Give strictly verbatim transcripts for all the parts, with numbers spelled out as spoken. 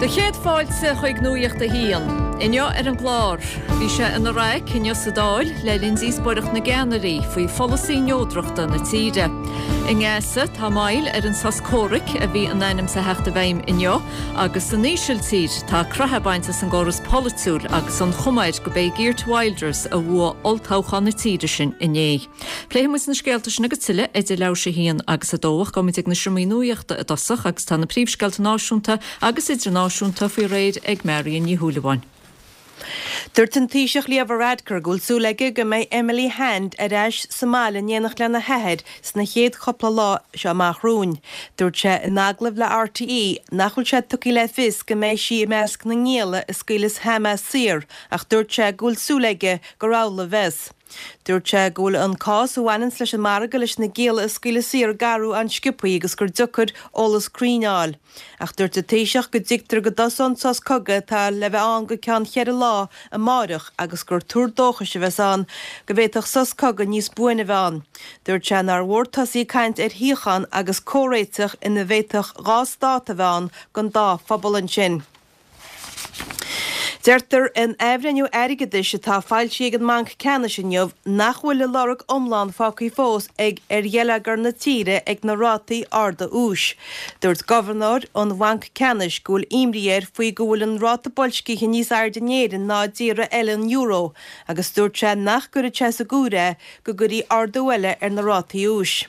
Do chéad fáilte chuig Nuacht a hAon. Inniu ar an gclár, bhí sé ina raic inniu sa Dáil le linn díospóireacht na gceannairí faoi pholasaí neodrachta na tíre. I nGaza tá moill ar an sos comhraic a bhí in ainm is a theacht i bhfeidhm inniu, agus san Ísiltír tá croitheadh bainte as an gcóras polaitiúil agus an chuma air gurb é Geert Wilders a bhuaigh olltoghchán na tíre sin inné. Pléifimid na scéalta sin agus tuilleadh idir leathuair tar éis a haon agus a dó ach gabhfaimid ag na seomraí nuachta i dtosach agus tá na príomhscéalta náisiúnta agus idirnáisiúnta faoi réir ag Marion Ní Shúilleabháin. Dúirt an Taoiseach Leo Varadkar go bhfuil súil aige go mbeidh Emily Hand ar ais sa mbaile in éineacht lena hathair sna chéad chúpla lá seo amach romhainn. Dúirt sé in agallamh le RTÉ nach bhfuil sé tugtha le fios go mbeidh sí i measc na ngialla a scaoileas Hamas saor ach dúirt sé go bhfuil súil aige gur amhlaidh a bheas. Dúirt sé go bhfuil an cás a bhaineann leis an margadh leis na gialla a scaoileadh saor ag athrú an-sciobtha agus gur deacair eolas cruinn a fháil. Ach dúirt an Taoiseach go dtuigtear go dtosóidh an sos cogaidh atá le bheith ann go ceann ceithre lá amárach agus gur tuar dóchais a bheas ann go bhféadfadh sos cogaidh níos buaine a bheith ann. Dúirt sé nár mhór tosaí ag caint ar shíocháin agus comhréiteach ina bhféadfadh dhá stát a bheith ann don dá phobal ansin. Deirtear in athbhreithniú airgeadais atá foilsithe ag an mBanc Ceannais inniu nach bhfuil a lorg iomlán fágtha fós ag ar gheilleagar na tíre ag na rátaí arda úis. Dúirt gobharnóir an Bhainc Ceannais go bhfuil imní air faoi go bhfuil an ráta boilscithe níos airde in Éirinn ná i dtíortha eile an euro, agus dúirt sé nach gcuirfeadh sé as an gcomhaireamh é go gcuirfí ardú eile ar na rátaí úis.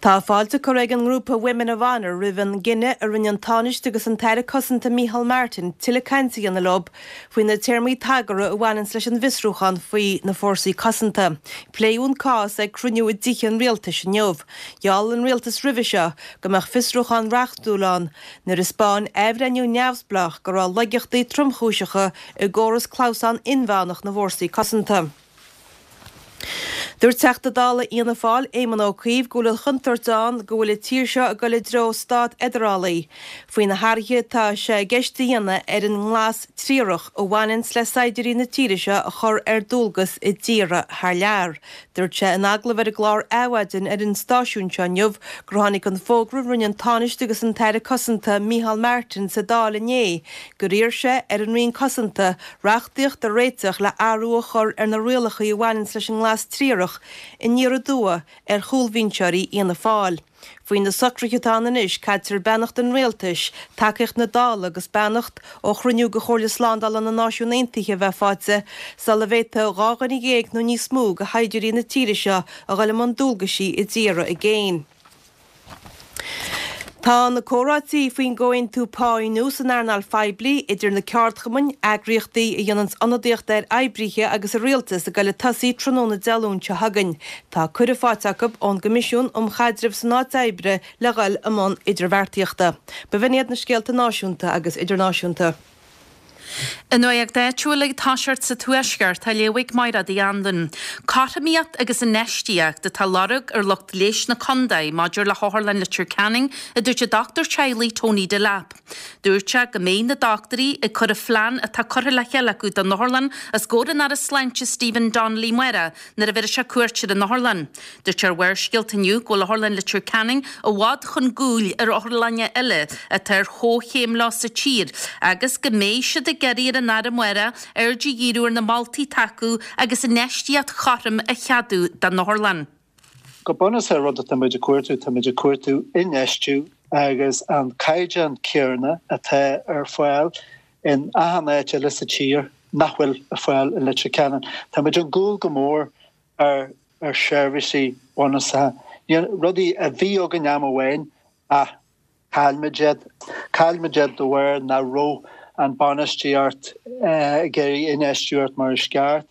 Tá fáilte curtha ag an ngrúpa Women of Honour roimh an gcinneadh a rinne an Tánaiste agus an tAire Cosanta Micheál Martin tuilleadh cainte a dhéanamh leo faoi na téarmaí tagartha a bhaineann leis an bhfiosrúchán faoi na fórsaí cosanta. Pléadh an cás ag cruinniú i dTithe an Rialtais inniu. Gheall an rialtas roimhe seo go mbeadh fiosrúchán reachtúil ann nuair a thaispeáin athbhreithniú neamhspleách go raibh laigeachtaí tromchúiseacha i gcóras clamhsán inmheánach na bhfórsaí cosanta. Dúirt Teachta Dála Fhianna Fáil Éamon Ó Cuív go bhfuil an chontúirt ann go bhfuil an tír seo ag dul i dtreo stát fheidearálaí. Faoi na hathruithe atá sé i gceist a dhéanamh ar an nglas triarach a bhaineann le saighdiúirí na tíre seo a chur ar dualgas i dtíortha thar lear. Dúirt sé in agallamh ar an gclár Adhmhaidin ar an stáisiún seo inniu gur tháinig an fógra rinne an Tánaiste agus an tAire Cosanta Micheál Martin sa Dáil inné gur iarr sé ar an Roinn Cosanta reachtaíocht a réiteach le athrú a chur ar na rialacha a bhaineann leis an nglas triarach aniar aduaidh ar chúlbhinseoirí Fhianna Fáil. Faoi na socruithe atá ann anois caitear beannacht an rialtais, tacaíocht na Dála agus beannacht ó chruinniú de Chomhairle Slándála na Náisiún Aontaithe a bheith faighte sula bhféadfadh dhá dhuine dhéag nó níos mó de shaighdiúirí na tíre seo a dhul i mbun dualgaisí i dtíortha i gcéin. Tá na comhráití faoin gcomhaontú pá nua san earnáil phoiblí idir na ceardchumainn, eagraíochtaí a dhéanann ionadaíocht ar oibrithe agus an rialtas ag dul ag tosaí tráthnóna Dé Luain seo chugainn. Tá cuireadh faighte acu ón gCoimisiún um Chaidreamh san Áit Oibre le dhul i mbun idirbheartaíochta. B'in iad na scéalta náisiúnta agus idirnáisiúnta. An nuacht áitiúil ag toiseacht sa Tuaisceart á léamh ag Máire Uí Anluain. Cothromaíocht agus infheistíocht atá á lorg ar lucht leighis na contae maidir le hOtharlann Leitir Ceanainn a dúirt an dochtúir teaghlaigh Tony Delap. Dúirt sé go mbeidh na dochtúirí ag cur an phlean atá curtha le chéile acu don otharlann os comhair an Aire Sláinte Stephen Donnelly amárach nuair a bhéarfaidh sé cuairt ar an otharlann. Dúirt sé ar Bharrscéalta inniu go bhfuil Otharlann Leitir Ceanainn i bhfad chun cúil ar otharlanna eile atá ar chomhchéim leo sa tír agus go mbeidh siad ag iarraidh ar an Aire amárach aird a dhíriú ar na moltaí atá acu agus infheistíocht chothrom a cheadú don otharlann. Go bunúsach rud atá muid ag cuartú tá muid ag cuartú infheistiú agus an caighdeán céanna atá ar fáil in achan áit eile sa tír nach bhfuil ar fáil i Leitir Ceanainn. Tá muid chun cúil go mór ar ar seirbhísí bunúsacha. Rudaí a bhí againn am amháin ach chaill muid iad chaill muid iad de bharr nach raibh an bainistíocht ag iarraidh infheistiú mar is ceart.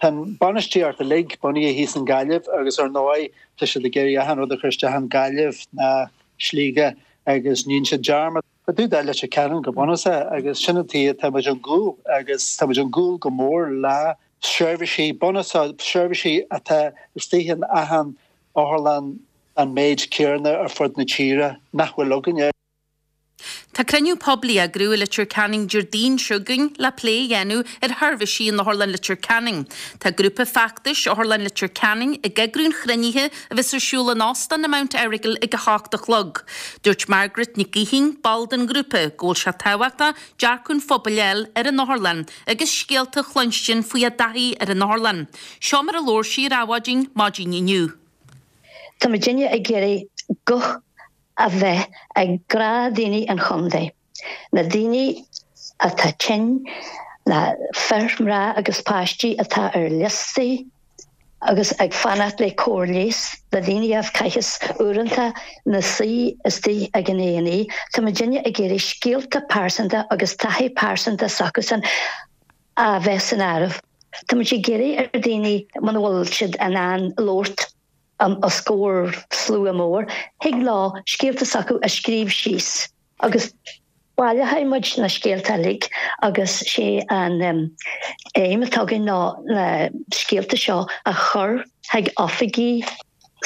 Tá bainistíocht uilig bunaithe thíos i nGaillimh agus ar ndóigh tá siad ag iarraidh achan rud a chur isteach i nGaillimh ná Sligeach agus níonn siad dearmad. Ba dú Leitir Ceanainn go bunúsach agus sin an tuige tá muid chun cúil agus tá muid chun cúil go mór le seirbhísí bunúsacha seirbhísí atá istigh in achan otharlann an méid céanna ar fud na tíre nach bhfuil againne. Tá cruinniú poiblí á eagrú i Leitir Ceanainn Déardaoin seo chugainn le plé a dhéanamh ar sheirbhísí in Otharlann Leitir Ceanainn. Tá grúpa feachtais Otharlann Leitir Ceanainn ag eagrú an chruinnithe a bheas ar siúl in Óstán na Mount Errigal ag a hocht a chlog. Dúirt Margaret Nic Gaoithín, ball den ghrúpa, go bhfuil sé tábhachtach dearcadh an phobail a fháil ar an otharlann agus scéalta a chluinstin faoi a dtaithí ar an otharlann. Seo mar a labhair sí ar Adhmhaidin maidin inniu. Tá muidinne ag iarraidh guth a bheith ag gnáthdhaoine an chontae, na daoine atá tinn, na fir, mná agus páistí atá ar liostaí agus ag fanacht le cóir leighis, na daoine a chaitheas uaireanta ina suí istigh ag an A and E. Tá muidinne ag iarraidh scéalta pearsanta agus taithí pearsanta s'acusan a bheith san áireamh. Tá muid ag iarraidh ar dhaoine muna bhfuil siad in ann labhairt os comhair slua mór, thig leo scéalta s'acu a scríobh síos agus baileoidh muid na scéalta uilig agus sé an aidhm atá againn ná na scéalta seo a chur chuig oifigí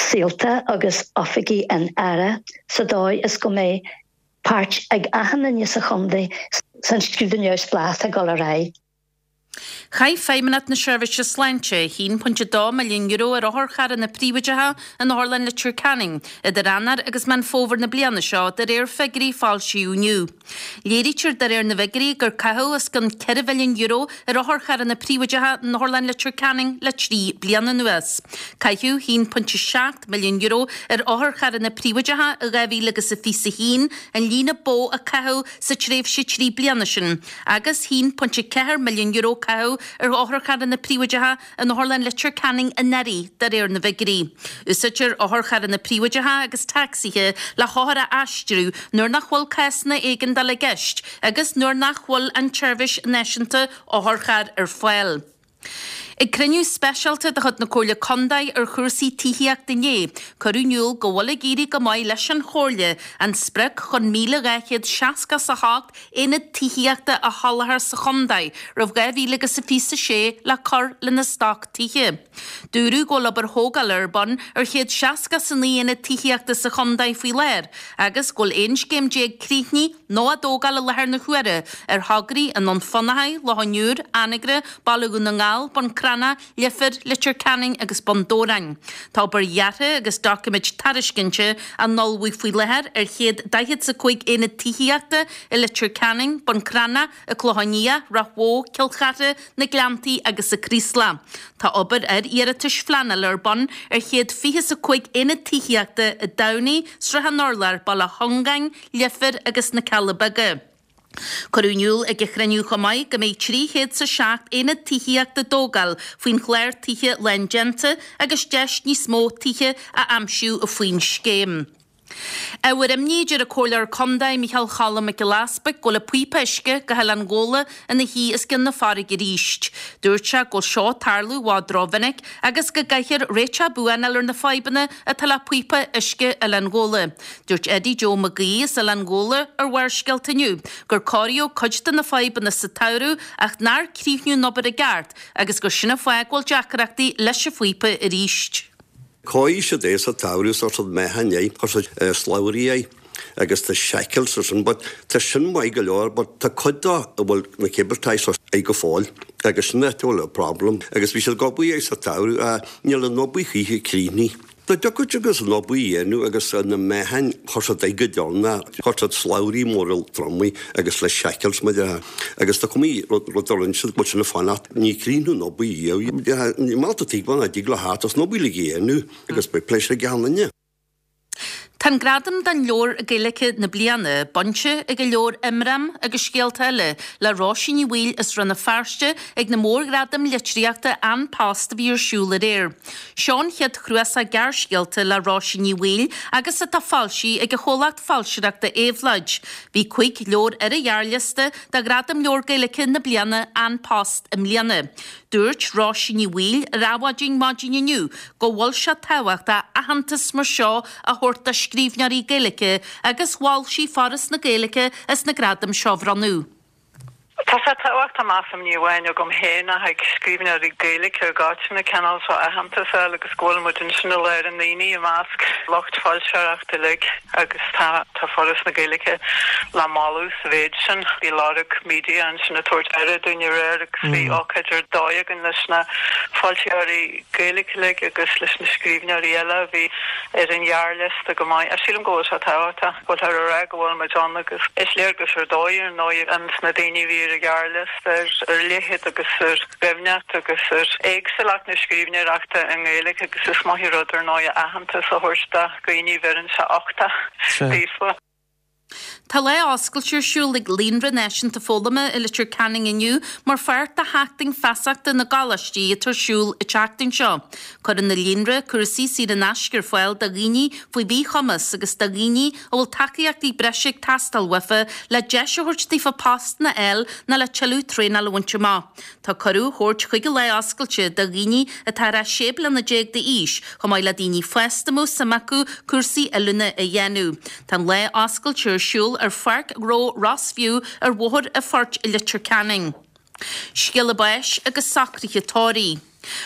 Saolta agus oifigí an Aire sa dóigh is go mbeidh páirt ag achan duine sa chontae san scrúdú neamhspleách atá ag dul ar aghaidh. Chaith Feidhmeannacht na Seirbhíse Sláinte a haon pointe a dó milliún euro ar otharcharranna príobháideacha in Otharlann Leitir Ceanainn idir Eanáir agus Meán Fómhair na bliana seo, de réir figiúirí a foilsíodh inniu. Léirítear de réir na bhfigiúirí gur caitheadh os cionn ceithre mhilliún euro ar otharcharranna príobháideacha in Otharlann Leitir Ceanainn le trí bliana anuas. Caitheadh a haon pointe seacht milliún euro ar otharcharranna príobháideacha i dhá mhíle agus a fiche a haon, an líon ba mhó a caitheadh sa tréimhse trí bliana sin, agus a haon pointe ceathair milliún euro caitheadh ar otharcharranna príobháideacha in Otharlann Leitir Ceanainn anuraidh, de réir na bhfigiúirí. Úsáidtear otharcharranna príobháideacha agus tacsaithe le hothair a aistriú nuair nach bhfuil cásanna éigeandála i gceist agus nuair nach bhfuil an tseirbhís náisiúnta otharchairr ar fáil. Ag cruinniú speisialta de chuid na Comhairle Contae ar chúrsaí tithíochta inné, cuireadh in iúl go bhfuil ag éirí go maith leis an Chomhairle an sprioc chun míle dhá chéad seasca 's a hocht aonad tithíochta a sholáthar sa chontae roimh dhá mhíle agus a fiche a sé le cur lena stoc tithe. Dúradh go bhfuil obair thógála ar bun ar chéad seasca 's a naoi aonad tithíochta sa chontae faoi láthair agus go bhfuil aon scéim déag críochnaithe nó á dtógáil i láthair na huaire ar thograí i nDún Fionnachaidh, Loch an Iúir, Anagaire, Baile Dhún na nGall, Bun Cranncha, Leifear, Leitir Ceanainn agus Bun Dobhráin. Tá obair dheartha agus doiciméid tairiscinte á n-ullmhú faoi láthair ar chéad daichead 's a cúig aonad tithíochta i Leitir Ceanainn, Bun Cranncha, An Clochán Liath, Ráth Bhoth, Cill Chartha, Na Gleanntaí agus sa Chraoslach. Tá obair ar iarratais phleanála ar bun ar chéad fiche 's a cúig aonad tithíochta i dTamhnaigh, Srath an Urláir, Baile Chongáin, Leifear agus na Cealla Beaga. Cuireadh in iúl ag an chruinniú chomh maith go mbeidh trí chéad 's a seacht aonad tithíochta á dtógáil faoin chlár Tithe Lándéanta agus deis níos mó tithe a aimsiú faoin scéim. Ábhar imní, deir an Comhairleoir Contae Micheál Cholm Mac Giolla Easbuig go bhfuil an píopa uisce go hOileán Ghabhla ina shuí os cionn na farraige arís. Dúirt sé go bhfuil seo ag tarlú i bhfad rómhinic agus go gcaithfear réiteach buan a fháil ar na fadhbanna atá le píopa uisce Oileán Ghabhla. Dúirt Eddie Joe Mac Aoidh as Oileán Ghabhla ar Bharrscéalta inniu gur cóiríodh cuid de na fadhbanna sa tsamhradh ach nár críochnaíodh an obair i gceart agus gur sin an fáth go bhfuil deacrachtaí leis an phíopa arís. Chóirigh siad é sa tsamhradh chuir siad meáchan air, chuir siad slabhraí air agus tá shackles ar sin but tá sin maith go leor but tá cuid de a bhfuil na cable ties air go fóill agus sin áit a bhfuil an problem agus bhí siad ag obair air sa tsamhradh ach níl an obair choíche críochnaithe. Dá dtiocfadh agus an obair a dhéanamh agus na meáchain chuir siad air go deireanach, chuir siad slabhraí móra tromaí agus le shackles mar a agus tá cuma rud a rinne siad go bhfuil sin ag fanacht ní críochnú an obair riamh. Ní maith leat tuigbheáil nach dtig le thart as an obair uilig a dhéanamh agus beidh pléisiúr ag achan duine. Tá an gradam don leabhar Gaeilge na bliana bainte ag an leabhar Imram agus Scéalta Eile le Róisín Ní Bhaoill as Rann na Feirste ag na mórghradaim litríochta An Post a bhí ar siúl aréir. Seo an chéad chnuasach gearrscéalta le Róisín Ní Bhaoill agus atá foilsithe ag an chomhlacht foilsitheoireachta Éabhlóid. Bhí cúig leabhar ar an ghearrliosta do Ghradam Leabhar Gaeilge na Bliana An Post i mbliana. Dúirt Róisín Ní Bhaoill ar Adhmhaidin maidin inniu go bhfuil sé tábhachtach aitheantas mar seo a thabhairt do scríbhneoirí Gaeilge agus mhol sí Foras na Gaeilge as na gradaim seo a bhronnadh. Tá Tá sé tábhachtach measaim ní amháin agam féin ach ag scríbhneoirí Gaeilge i gcoitinne cineál seo aitheantas a fháil agus go bhfuil muid ansin i lár na ndaoine i measc lucht foilsitheoireachta uilig agus tá tá Foras na Gaeilge le moladh sa mhéid sin. Bhí Lorg Media ansin ag tabhairt aire dúinn aréir agus bhí ócáid ar dóigh againn leis na foilsitheoirí Gaeilge uilig agus leis na scríbhneoirí eile a bhí ar an ghearrliosta go maith. Sílim go bhfuil sé tábhachtach go bhfuil ar a go bhfuil muid ann agus is léargas ar dóigh ar ndóigh ins na daoine a bhí ar an ghearrliosta ar ar leithead agus ar dhoimhneacht agus ar éagsúlacht na scríbhneoireachta i nGaeilge agus is maith an rud ar ndóigh aitheantas a thabhairt do dhaoine bheireann sé uchtach daofa. Tá lá oscailte ar siúl ag Líonra Náisiúnta Foghlama i Leitir Ceanainn inniu mar pháirt de sheachtain feasachta na gcoláistí atá ar siúl an tseachtain seo. Cuireann na líonra cúrsaí saor in aisce ar fáil do dhaoine faoi mhíchumas agus do dhaoine a bhfuil tacaíochtaí breise ag teastáil uafa le deis a thabhairt daofa postanna a fháil nó le tuilleadh traenáil a bhaint amach. Tá cuireadh á thabhairt chuig an lá oscailte do dhaoine atá ar sé bliana déag d'aois, chomh maith le daoine fásta a mbeadh suim acu cúrsaí oiliúna a dhéanamh. Tá an lá oscailte ar siúl ar Pháirc Ghnó Rossview ar Bhóthar an Phoirt i Leitir Ceanainn. Scéala báis agus socruithe tórraimh.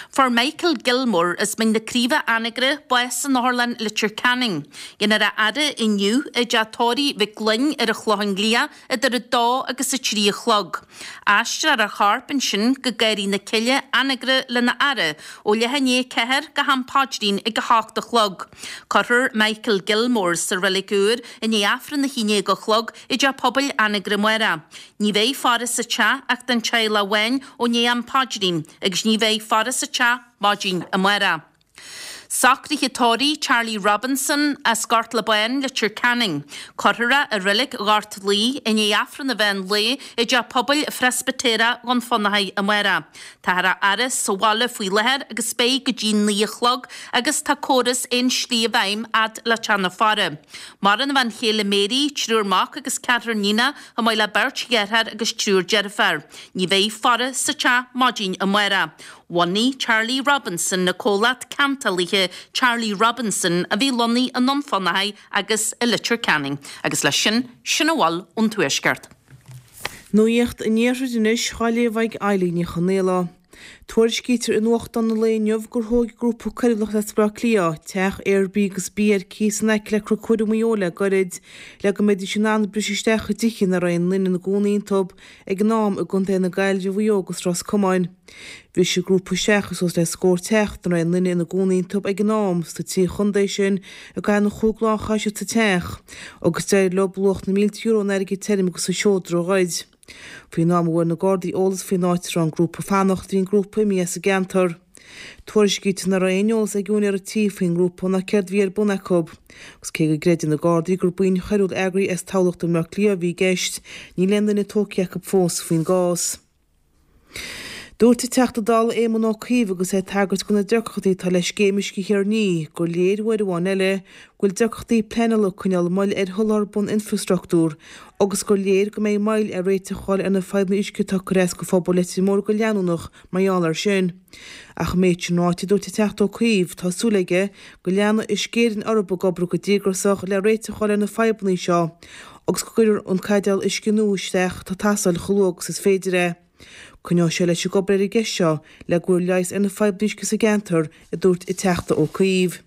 Fuair Michael Gilmore as Mín na Craoibhe Anagaire bás in Otharlann Leitir Ceanainn. Déanfar a fhaire inniu i dteach tórraimh Mhic Gloinn ar an Chlochán Liath idir a dó agus a trí a chlog. Aistreofar a chorp ansin go Garraí na Cille Anagaire lena fhaire ó leath i ndiaidh a ceathair go ham paidrín ag a hocht a chlog. Cuirfear Michael Gilmore sa reilig úr i ndiaidh Aifreann a haon déag a chlog i dteach pobail Anagaire amárach. Ní bheidh faire sa teach ach don teaghlach amháin ó ndiaidh am paidrín agus ní bheidh faire sa teach maidin amárach. Socruithe tórraimh Charlie Robinson as Gort Labáin, Leitir Ceanainn. Cuirfear é i reilig Ghort Laoi i ndiaidh Aifreann an mheán lae i dteach pobail Phreispitéireach Dhún Fionnachaidh amárach. Táthar á fhaire sa bhaile faoi láthair agus beidh go dtí naoi a chlog agus tá córas aon slí i bhfeidhm fhad le teach na faire. Maireann a bhean chéile Mary, triúr mac agus ceathrar níonach, chomh maith le beirt dheartháir agus triúr deirféar. Ní bheidh faire sa teach maidin amárach. Bhunaigh Charlie Robinson na comhlacht ceantálaithe Charlie Robinson a bhí lonnaithe i nDún Fionnachaidh agus i Leitir Ceanainn. Agus leis sin, sin a bhfuil ón Tuaisceart. Nuacht an Iarthair anois á léamh ag Eilín Ní Chonaola. Tuairiscítear i nuachtán an lae inniu gur thóg grúpa coiriúlach as Baile Átha Cliath teach Airbnb ar cíos in aice le Cnoc Mhuire Maigh Eo le gairid le go mbeidís in ann briseadh isteach i dtithe ina raibh aon duine ina gcónaí iontu ag an am i gContae na Gaillimhe, Mhaigh Eo agus Ros Comáin. Bhris an grúpa isteach i suas le scór teach ina raibh aon duine ina gcónaí iontu ag an am sna trí chontae sin i gcaitheamh an chúig lá a chaith siad sa teach agus d'éirigh leo luach na mílte euro in airgead tirim agus i seodra a ghoid. Faoin am a bhfuair na Gardaí eolas faoin áit a raibh an grúpa ag fanacht, bhí an grúpa imithe as an gceantar. Tuairiscítear nach raibh aon eolas ag úinéir an tí faoin ngrúpa ná céard a bhí ar bun acu. Agus cé go gcreideann na Gardaí gur buíon choiriúil eagraithe as Tamhlacht i mBaile Átha Cliath a bhí i gceist, níl aon duine tógtha acu fós faoin gcás. Dúirt an Teachta Dála Éamon Ó Cuív agus é ag tagairt do na deacrachtaí atá le Scéim Uisce Thír an Fhia gur léir uair amháin eile go bhfuil deacrachtaí pleanála ag coinneáil moill ar sholáthar bun-infreastruchtúr agus gur léir go mbeidh moill ar réiteach a fháil ar na fadhbanna uisce atá ag cur as do phobal Leitir Móir go leanúnach mar gheall air sin. Ach an méid sin ráite, dúirt an Teachta Ó Cuív, tá súil aige go leanfaidh Uisce Éireann orthu ag obair go díograiseach le réiteach a fháil ar na fadhbanna seo agus go gcuirfear an caidéal uisce nua isteach atá ag teastáil chomh luath agus is féidir é. Coinneoidh sé leis ag obair ar an gceist seo le go bhfuil leigheas ar na fadhbanna uisce sa gceantar, a dúirt an Teachta Ó Cuív.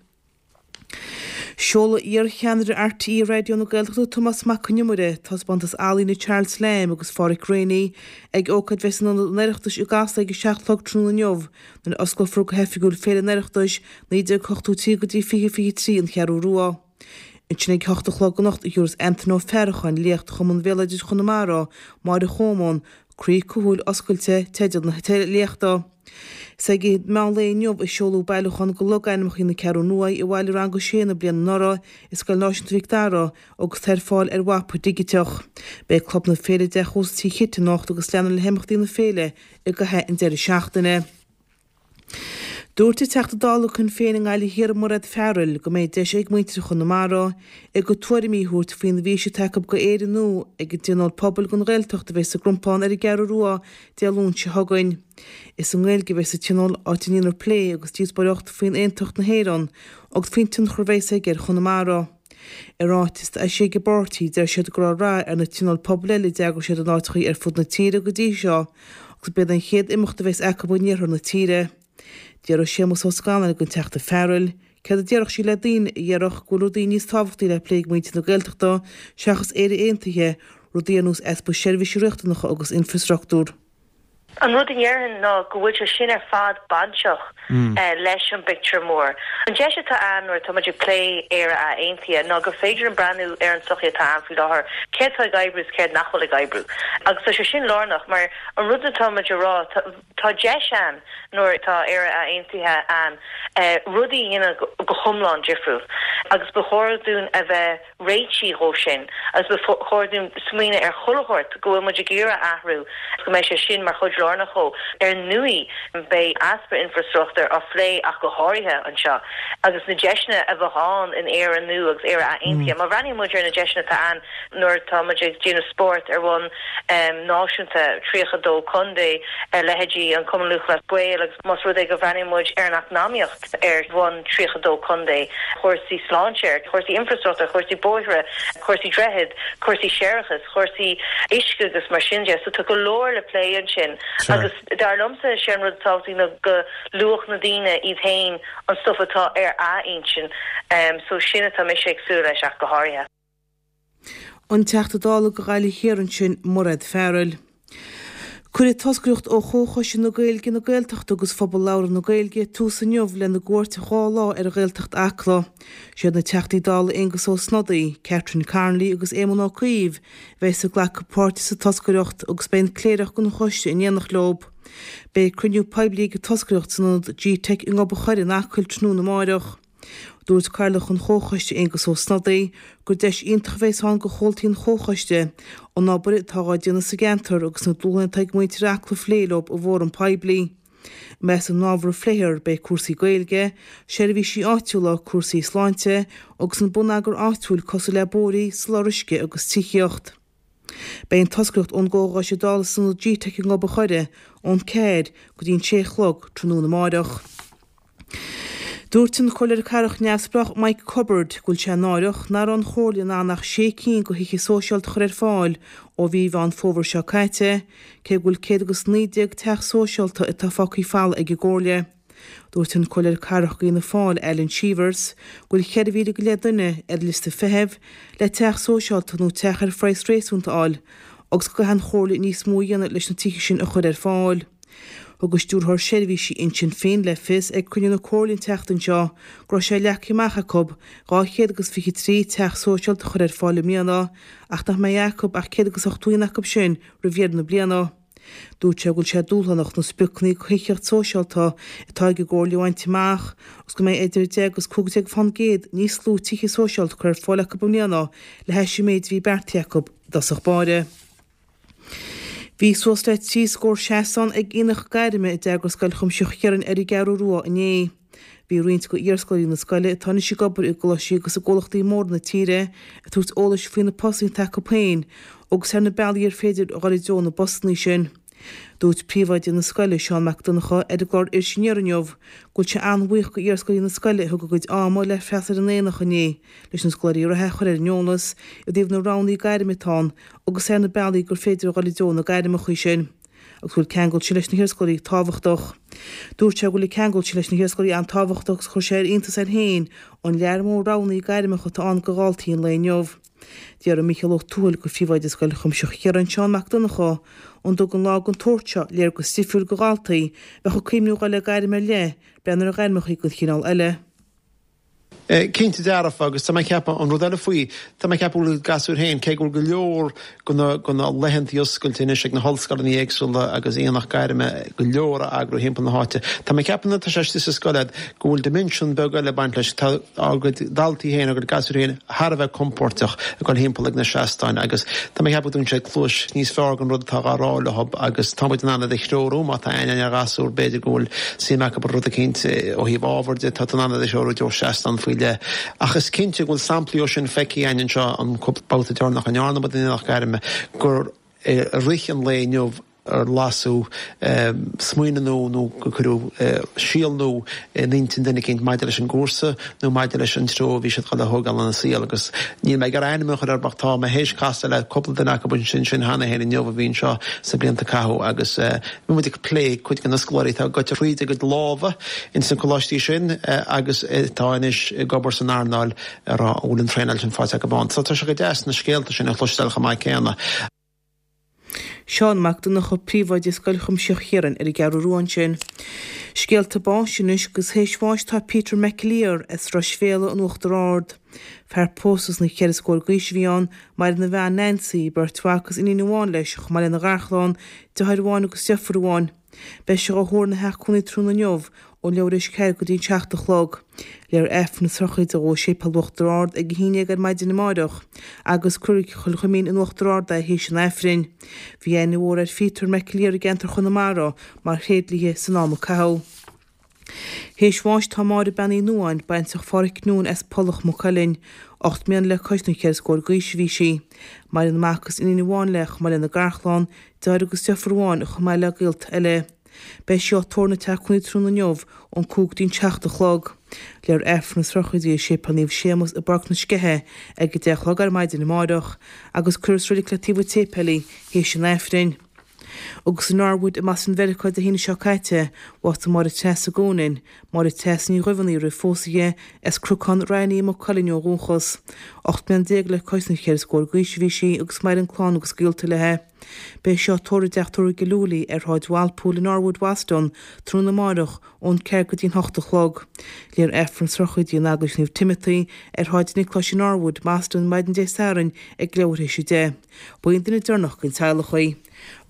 Seolfaidh iar-cheannaire RTÉ Raidió na Gaeltachta Tomás Mac Con Iomaire taispeántas ealaíne Charles Lamb agus Pháraic Reaney ag ócáid a bheas in Ionad an Oireachtais i gCasla ag a seacht a chlog tráthnóna inniu nuair a osclófar go hoifigiúil Féile an Oireachtais naoi déag ochtó trí go dtí fiche fiche trí an Cheathrú Rua. Ansin ag a hocht a chlog anocht a thabharfas Antaine Ó Faracháin léacht do Chumann Bhéaloidis Chonamara, Máire Chómáin, Croí Cúthail Oscailte, teideal na léachta. Is ag meán lae inniu a seoladh bailiúchán de logainmneacha na Ceathrún Rua i bhfeighil rang a sé na bliana anuraidh i Scoil Náisiúnta Mhic Dara agus tá ar fáil ar mhapa digiteach. Beidh Club na Féile i dTeach Ósta Tigh Chit anocht agus leanfar le himeachtaí na féile i gcaitheamh an deireadh seachtaine. Dúirt an Teachta Dála Shinn Féin i nGaillimh Thiar Mairéad Farrell go mbeidh deis ag muintir Chonamara a gcuid tuairimí a thabhairt faoin bhfís atá acu go Éire nua ag an dTionól Pobail don Ghaeltacht a bheas sa gCrompán ar an gCeathrú Rua Dé Luain seo chugainn. Is i nGaeilge a bheas an tionól áit a ndéanfar plé agus díospóireacht faoin aontacht na hÉireann agus faoin tionchar a bheas aige ar Chonamara. I ráiteas a d'eisigh an páirtí, deir siad go raibh rath ar na tionóil pobail eile a d'eagraigh siad in áiteachaí ar fud na tíre go dtí seo agus b'iad an chéad imeacht a bheas acu in iarthar na tíre. D'fhiafraigh Séamus Ó Scanláin den Teachta Farrell céard a déarfadh sí le daoine a déarfadh go bhfuil rudaí níos tábhachtaí le plé ag muintir na Gaeltachta seachas Éire Aontaithe, rudaí ar nós easpa seirbhísí riachtanacha agus infreastruchtúr. An rud a ndéarfainn ná go bhfuil sé sin ar fad bainteach leis an bpictiúr mór. An deis atá ann nuair atá muid ag plé Éire Aontaithe ná gur féidir linn breathnú ar an tsochaí atá ann faoi láthair, céard atá ag oibriú is céard nach bhfuil ag oibriú. Agus tá sé sin lárnach mar an rud atá muid a rá, tá deis ann nuair atá Éire Aontaithe ann rudaí a dhéanamh go hiomlán difriúil agus ba chóir dúinn a bheith réitithe dhó sin agus ba chóir dúinn smaoineamh ar chuile shórt go bhfuil muid ag iarraidh athrú agus go mbeidh sé sin mar chuid lárnach dhó. Ar ndóigh, beidh easpa infreastruchtúir á phlé ach go háirithe anseo agus na deiseanna a bheadh ann in Éire nua agus Éire aontaithe. Má bhreathnaíonn muid ar na deiseanna atá ann nuair atá muid ag déanamh spóirt ar bhonn náisiúnta, tríocha dó contae, leithéidí an Cumann Lúthchleas Gael agus más rud é go bhreathnaíonn muid ar an eacnamaíocht, ar bhonn tríocha dó contae, chúrsaí sláinte, chúrsaí infreastruchtúir, chúrsaí bóithre, cúrsaí droichead, cúrsaí séarachais, chúrsaí uisce agus mar sin de. So tá go leor le plé ansin agus dar liomsa sé an rud is tábhachtaí ná go luafadh na daoine iad féin an stuif atá ar a n-intinn. So sin atá mise ag súil leis ach go háirithe. An Teachta Dála do Ghaillimh Thiar ansin, Mairéad Farrell. Cuirfidh toscaireacht ó Chomhchoiste na Gaeilge, na Gaeltachta agus Phobal Labhartha na Gaeilge tús inniu lena gcuairt dhá lá ar Ghaeltacht Acla. Siad na Teachtaí Dála Aengus Ó Snodaigh, Catherine Connolly agus Éamon Ó Cuív a bheas ag glacadh páirte sa toscaireacht agus beidh an Cléireach den choiste in éineacht leo. Beidh cruinniú poiblí ag an toscaireacht san ionad G-Teic i nGob an Choire in Acaill tráthnóna amáireach. Dúirt Cathaoirleach an Chomhchoiste Aengus Ó Snodaigh gur deis iontach a bheas ann do chomhaltaí an Chomhchoiste an obair atá á déanamh sa gceantar agus na dúshláin atá ag muintir Acla a phlé leo i bhfóram poiblí. I measc na n-ábhar a phléifear beidh cúrsaí Gaeilge, seirbhísí áitiúla, cúrsaí sláinte agus an bonneagar áitiúil cosúil le bóithrí, soláthar uisce agus tithíocht. Beidh an toscaireacht ón gComhchoiste Dála san ionad G-Teic i nGob an Choire ón ceathair go dtí an sé a chlog tráthnóna amáireach. Dúirt an Comhairleoir Cathrach neamhspleách Mike Cubbard go bhfuil sé náireach nach raibh an Chomhairle in ann ach sé cinn de thithe sóisialta a chur ar fáil ó mhí Mheán Fómhair seo caite, cé go bhfuil céad agus naoi déag teach sóisialta atá fágtha folamh ag an gComhairle. Dúirt an Comhairleoir Cathrach d'Fhianna Fáil, Alan Cheevers, go bhfuil ceithre mhíle go leith duine ar liosta feithimh le teach sóisialta nó teach ar phraghas réasúnta a fháil agus go gcaithfidh an Chomhairle níos mó a dhéanamh leis na tithe sin a chur ar fáil. Thug an Stiúrthóir Seirbhísí Uinseann Finn le fios ag cruinniú na Comhairle an tseachtain seo go raibh sé leagtha amach acu dhá chéad agus fiche trí teach sóisialta a chur ar fáil i mbliana ach nach mbeidh acu ach céad agus ochtó aon acu sin roimh dheireadh na bliana. Dúirt sé go bhfuil sé dúshlánach na spriocanna do thithíocht sóisialta atá ag an gComhairle a bhaint amach agus go mbeidh idir deich agus cúig déag fán gcéad níos lú tithe sóisialta curtha ar fáil acu i mbliana le hais an méid a bhí beartaithe acu i dtosach báire. Bhí suas le trí scór seastán ag aonach gairme a d'eagraigh Scoil Chuimsitheach Chiaráin ar an gCeathrú Rua inné. Bhí roinnt de iarscoláirí na scoile atá anois ag obair i gcoláistí agus i gcomhlachtaí móra na tíre ag tabhairt eolais faoi na postanna atá acu féin agus ar na bealaí ar féidir a dhul i dtreo na bpostanna sin. Dúirt príomhoide na scoile, Seán Mac Donncha, ar an gclár Iris Aniar inniu go bhfuil sé an-bhuíoch d'iarscoláirí na scoile a thug a gcuid ama le freastal ar an aonach inné leis na scoláirí reatha a chur ar an eolas i dtaobh na roghanna gairme atá ann agus ar na bealaí gur féidir a dhul i dtreo na gairmeacha sin agus go bhfuil ceangal sin leis na hiarscoláirí tábhachtach. Dúirt sé go bhfuil an ceangal sin leis na hiarscoláirí an-tábhachtach agus chuir sé ar iontas air féin an lear mór roghanna gairmeacha atá ann do dhaltaí an lae inniu. D'fhiafraigh Mícheál Ó Tuathail de phríomhoide Scoil Chuimsitheach Chiaráin, Seán Mac Donncha, an dtugann lá den tsórt seo léargas difriúil do dhaltaí a bheadh ag cuimhniú dhul le gairm ar leith, breathnú ar ghairmeacha den chineál eile. Cinnte dearfa, agus tá mé ag ceapadh, an rud eile faoi, tá mé ag ceapadh go bhfuil gasúir féin, cé go bhfuil go leor de na, de na laethantaí oscailte anois ag na hollscoileanna éagsúla agus aonach gairme go leor á eagrú thimpeall na háite, tá mé ag ceapadh nuair atá sé istigh sa scoil a'd go bhfuil dimension beag eile ag baint leis, tá ár gcuid daltaí féin, ár gcuid gasúir féin thar a bheith compóirteach ag dul thimpeall ag na seastáin agus tá mé ag ceapadh go dtugann sé cluais níos fearr don rud atá dhá rá leo agus tá muid in ann iad a threorú má tá aithne ar ghasúr b'fhéidir go bhfuil suim acu i rud eicínt ó thaobh ábhair de, tá tú in ann iad a threorú i dtreo seastán faoi leith. Ach is cinnte go bhfuil samplaí ó sin feicthe againn anseo an cúpla babhta deireanach a ndearna muid an aonach gairme gur i rith an lae inniu ar lasadh smaoineamh nua nó gur cuireadh síol nua in intinn duine eicínt maidir leis an gcúrsa nó maidir leis an treo a bhí siad chun a thógáil ina saol agus níl mé ag iarraidh ainm a chur air ach tá mé théis casadh le cúpla duine acu ansin sin cheana féin inniu a bhí anseo sna blianta a caitheadh agus bhí muid ag plé cuid de na scoláirí atá gaibhte thríd a gcuid lámha ins na coláistí sin agus atá anois ag obair san earnáil a rá an bhfuil an traenáil sin faighte acu ann. So tá sé go deas na scéalta sin a chloisteáil chomh maith céanna. Seán Mac Donncha, Príomhoide Scoil Chuimsitheach Chiaráin ar an gCeathrú Rua ansin. Scéalta báis anois agus théis bháis tá Peter McAleer as Ros Féile in Uachtar Ard. Fear pósta sna ceithre scór d'aois a bhí ann, maireann a bhean Nancy, beirt mhac agus iníon amháin leis, chomh maith lena gharchlann, deartháir amháin agus deirfiúr amháin. Beidh sé á thórramh ina theach cónaí tráthnóna inniu ón leathuair théis ceathair go dtí an seacht a chlog. Léifear Aifreann na sochraide dhó i Séipéal Uachtar Ard ag a haon déag ar maidin amáireach agus cuirfear go Cill Chuimín in Uachtar Ard é théis an Aifrinn. Bhí aithne mhór ar Pheter McAleer i gceantar Chonamara mar thréidlia san am a caitheadh. Théis bháis tá Máire Bean Uí Nuadháin, baintreach Phádhraic Noone as Pollach Maigh Cuilinn. Ocht mbliana le cois na ceithre scór d'aois a bhí sí. Maireann mac agus iníon amháin léi chomh maith lena garchlann, deartháir agus deirfiúr amháin chomh maith le gaolta eile. Beidh sí á tórramh ina teach cónaí tráthnóna inniu ón cúig go dtí an seacht a chlog. Léifear Aifreann na sochraide i Séipéal Naomh Séamus i bPáirc na Sceiche ag a deich a chlog ar maidin amáireach agus cuirfear sa reilig le taobh an tséipéil í théis an Aifrinn. Agus i Norwood i mBoston Mheiriceá Dé hAoine seo caite, bhásaigh Máire Treasa Goonan, Máire Treasa Ní Dhuibheannaigh roimh phósadh di, as Cnocán Raithní i Maigh Cuilinn ó dhúchas. Ocht mbliana déag le cois na ceithre scór d'aois a bhí sí agus maireann clann agus gaolta léi. Beidh sí á tórramh i dteach tórraimh Gillooly ar Shráid Walpole i Norwood, Boston, tráthnóna amárach ón ceathair go dtí an hocht a chlog. Léifear Aifreann na sochraide in Eaglais Naomh Timothy ar Shráid Niocláis i Norwood, Boston, maidin Dé Sathairn ag leathuair théis a deich. Ba í an duine deireanach den teaghlach í.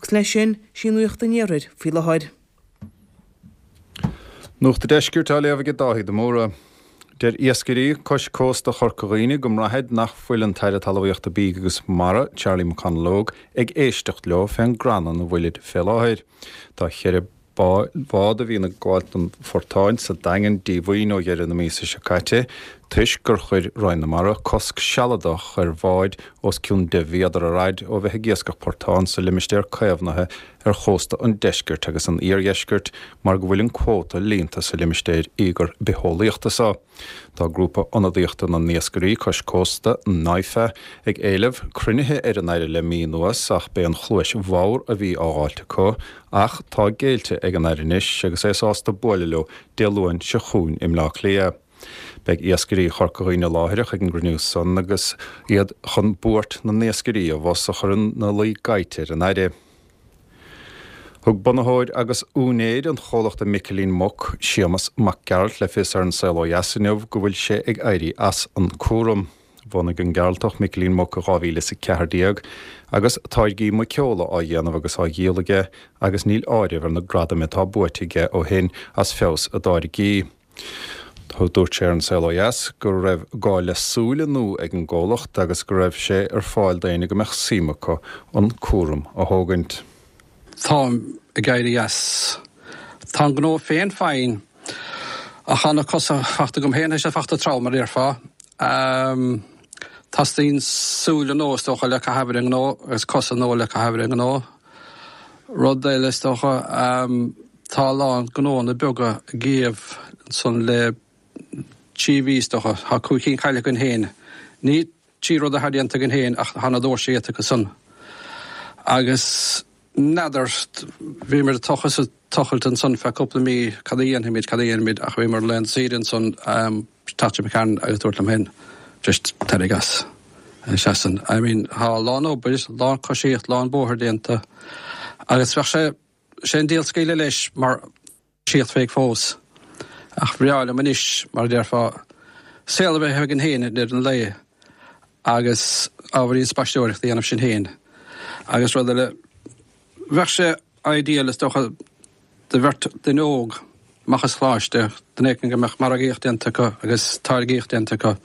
Agus leis sin, sí Nuacht an Iarthair faoi láthair. Nuacht an Deiscirt á léamh ag Dáithí de Mórdha. Deir iascairí cois cósta Chorca Dhuibhne go mbraithid nach bhfuil an tAire Talmhaíochta Bídh agus Mara, Charlie McConalogue, ag éisteacht leo fén gcrannan a bhfuilid fé láthair. Tá cheithre bhád a bhíonn ag gabháilt an phortáin sa Daingean díomhaoin ó dheireadh na míosa seo caite toisc gur chuir Roinn na Mara cosc sealadach ar bháid os cionn deich mhéadar ar fhaid ó bheith ag iascach portán sa limistéar caomhnaithe ar chósta an deiscirt agus an iardheiscirt mar go bhfuil an cuóta líonta sa limistéar íogair bitheolaíochta seo. Tá grúpa ionadaíochta na n-iascairí cois cósta, NIFA, ag éileamh cruinnithe ar an Aire le mí anuas ach b'é an chluais bhodhar a bhí á fháilt acu ach tá géillte ag an Aire anois agus é sásta buaileadh leo Dé Luain seo chugainn i mBleá Cliath. Beidh iascairí Chorca Dhuibhne láithreach ag an gcruinniú san agus iad chun buairt na n-iascairí abhus a chur ina luí gaibhte ar an Aire. Thug bunaitheoir agus úinéir an chomhlachta Micilín Muc, Séamus Mac Gearailt le fios ar An Saol Ó Dheas inniu go bhfuil sé ag éirí as an cúram. Bhunaigh an Gearaltach Micilín Muc i dhá mhíle is a ceathair déag agus táirgí muiceola á dhéanamh agus á dhíol aige agus níl áireamh ar na gradaim atá buaite aige ó shin as feabhas a dtáirgí. Dúirt sé ar An Saol Ó Dheas go raibh gá le súile nua ag an gcomhlacht agus go raibh sé ar fáil d'éinne go mbeadh suim acu an cúram a thógaint. Táim ag éirí as. Tá an gnó féin fine ach tá na cosa fachta agam féin, tá sé fachta trom, mar a déarfá. Teastaíonn súile nua is dócha le caitheamh ar an ngnó agus cosa nua le caitheamh ar an ngnó. Rud eile is dócha, tá a lán gnóanna beaga ag iamh ansan le trí mhí is dócha. Tá cúig cinn caillte againn féin. Ní trí rud atá déanta againn féin ach tá na doirse iata acu san. Agus n'fheadar, bhíomar ag tochas is ag tochailt ansan feadh cúpla mí, cad a dhéanfaimid, cad a dhéanfaimid, ach bhíomar laethanta saoire ansan, teacht McCann agus dúirt liom féin, just éirigh as. Seasann. I mean, tá a lán obair, lán coisíocht, lán bóthair déanta agus bheadh sé, sé an diabhal scaoileadh leis mar síocht féig fós. Ach bhreá liom anois, mar a déarfá, saol a bheith againn féin i ndeireadh an lae agus ábhairín spaisteoireachta a dhéanamh sinn féin. Agus rud eile, bheadh sé ideal is dócha do bheirt duine óg amach as choláiste, duine éicint go mbeadh margaíocht déanta acu agus táirgíocht déanta acu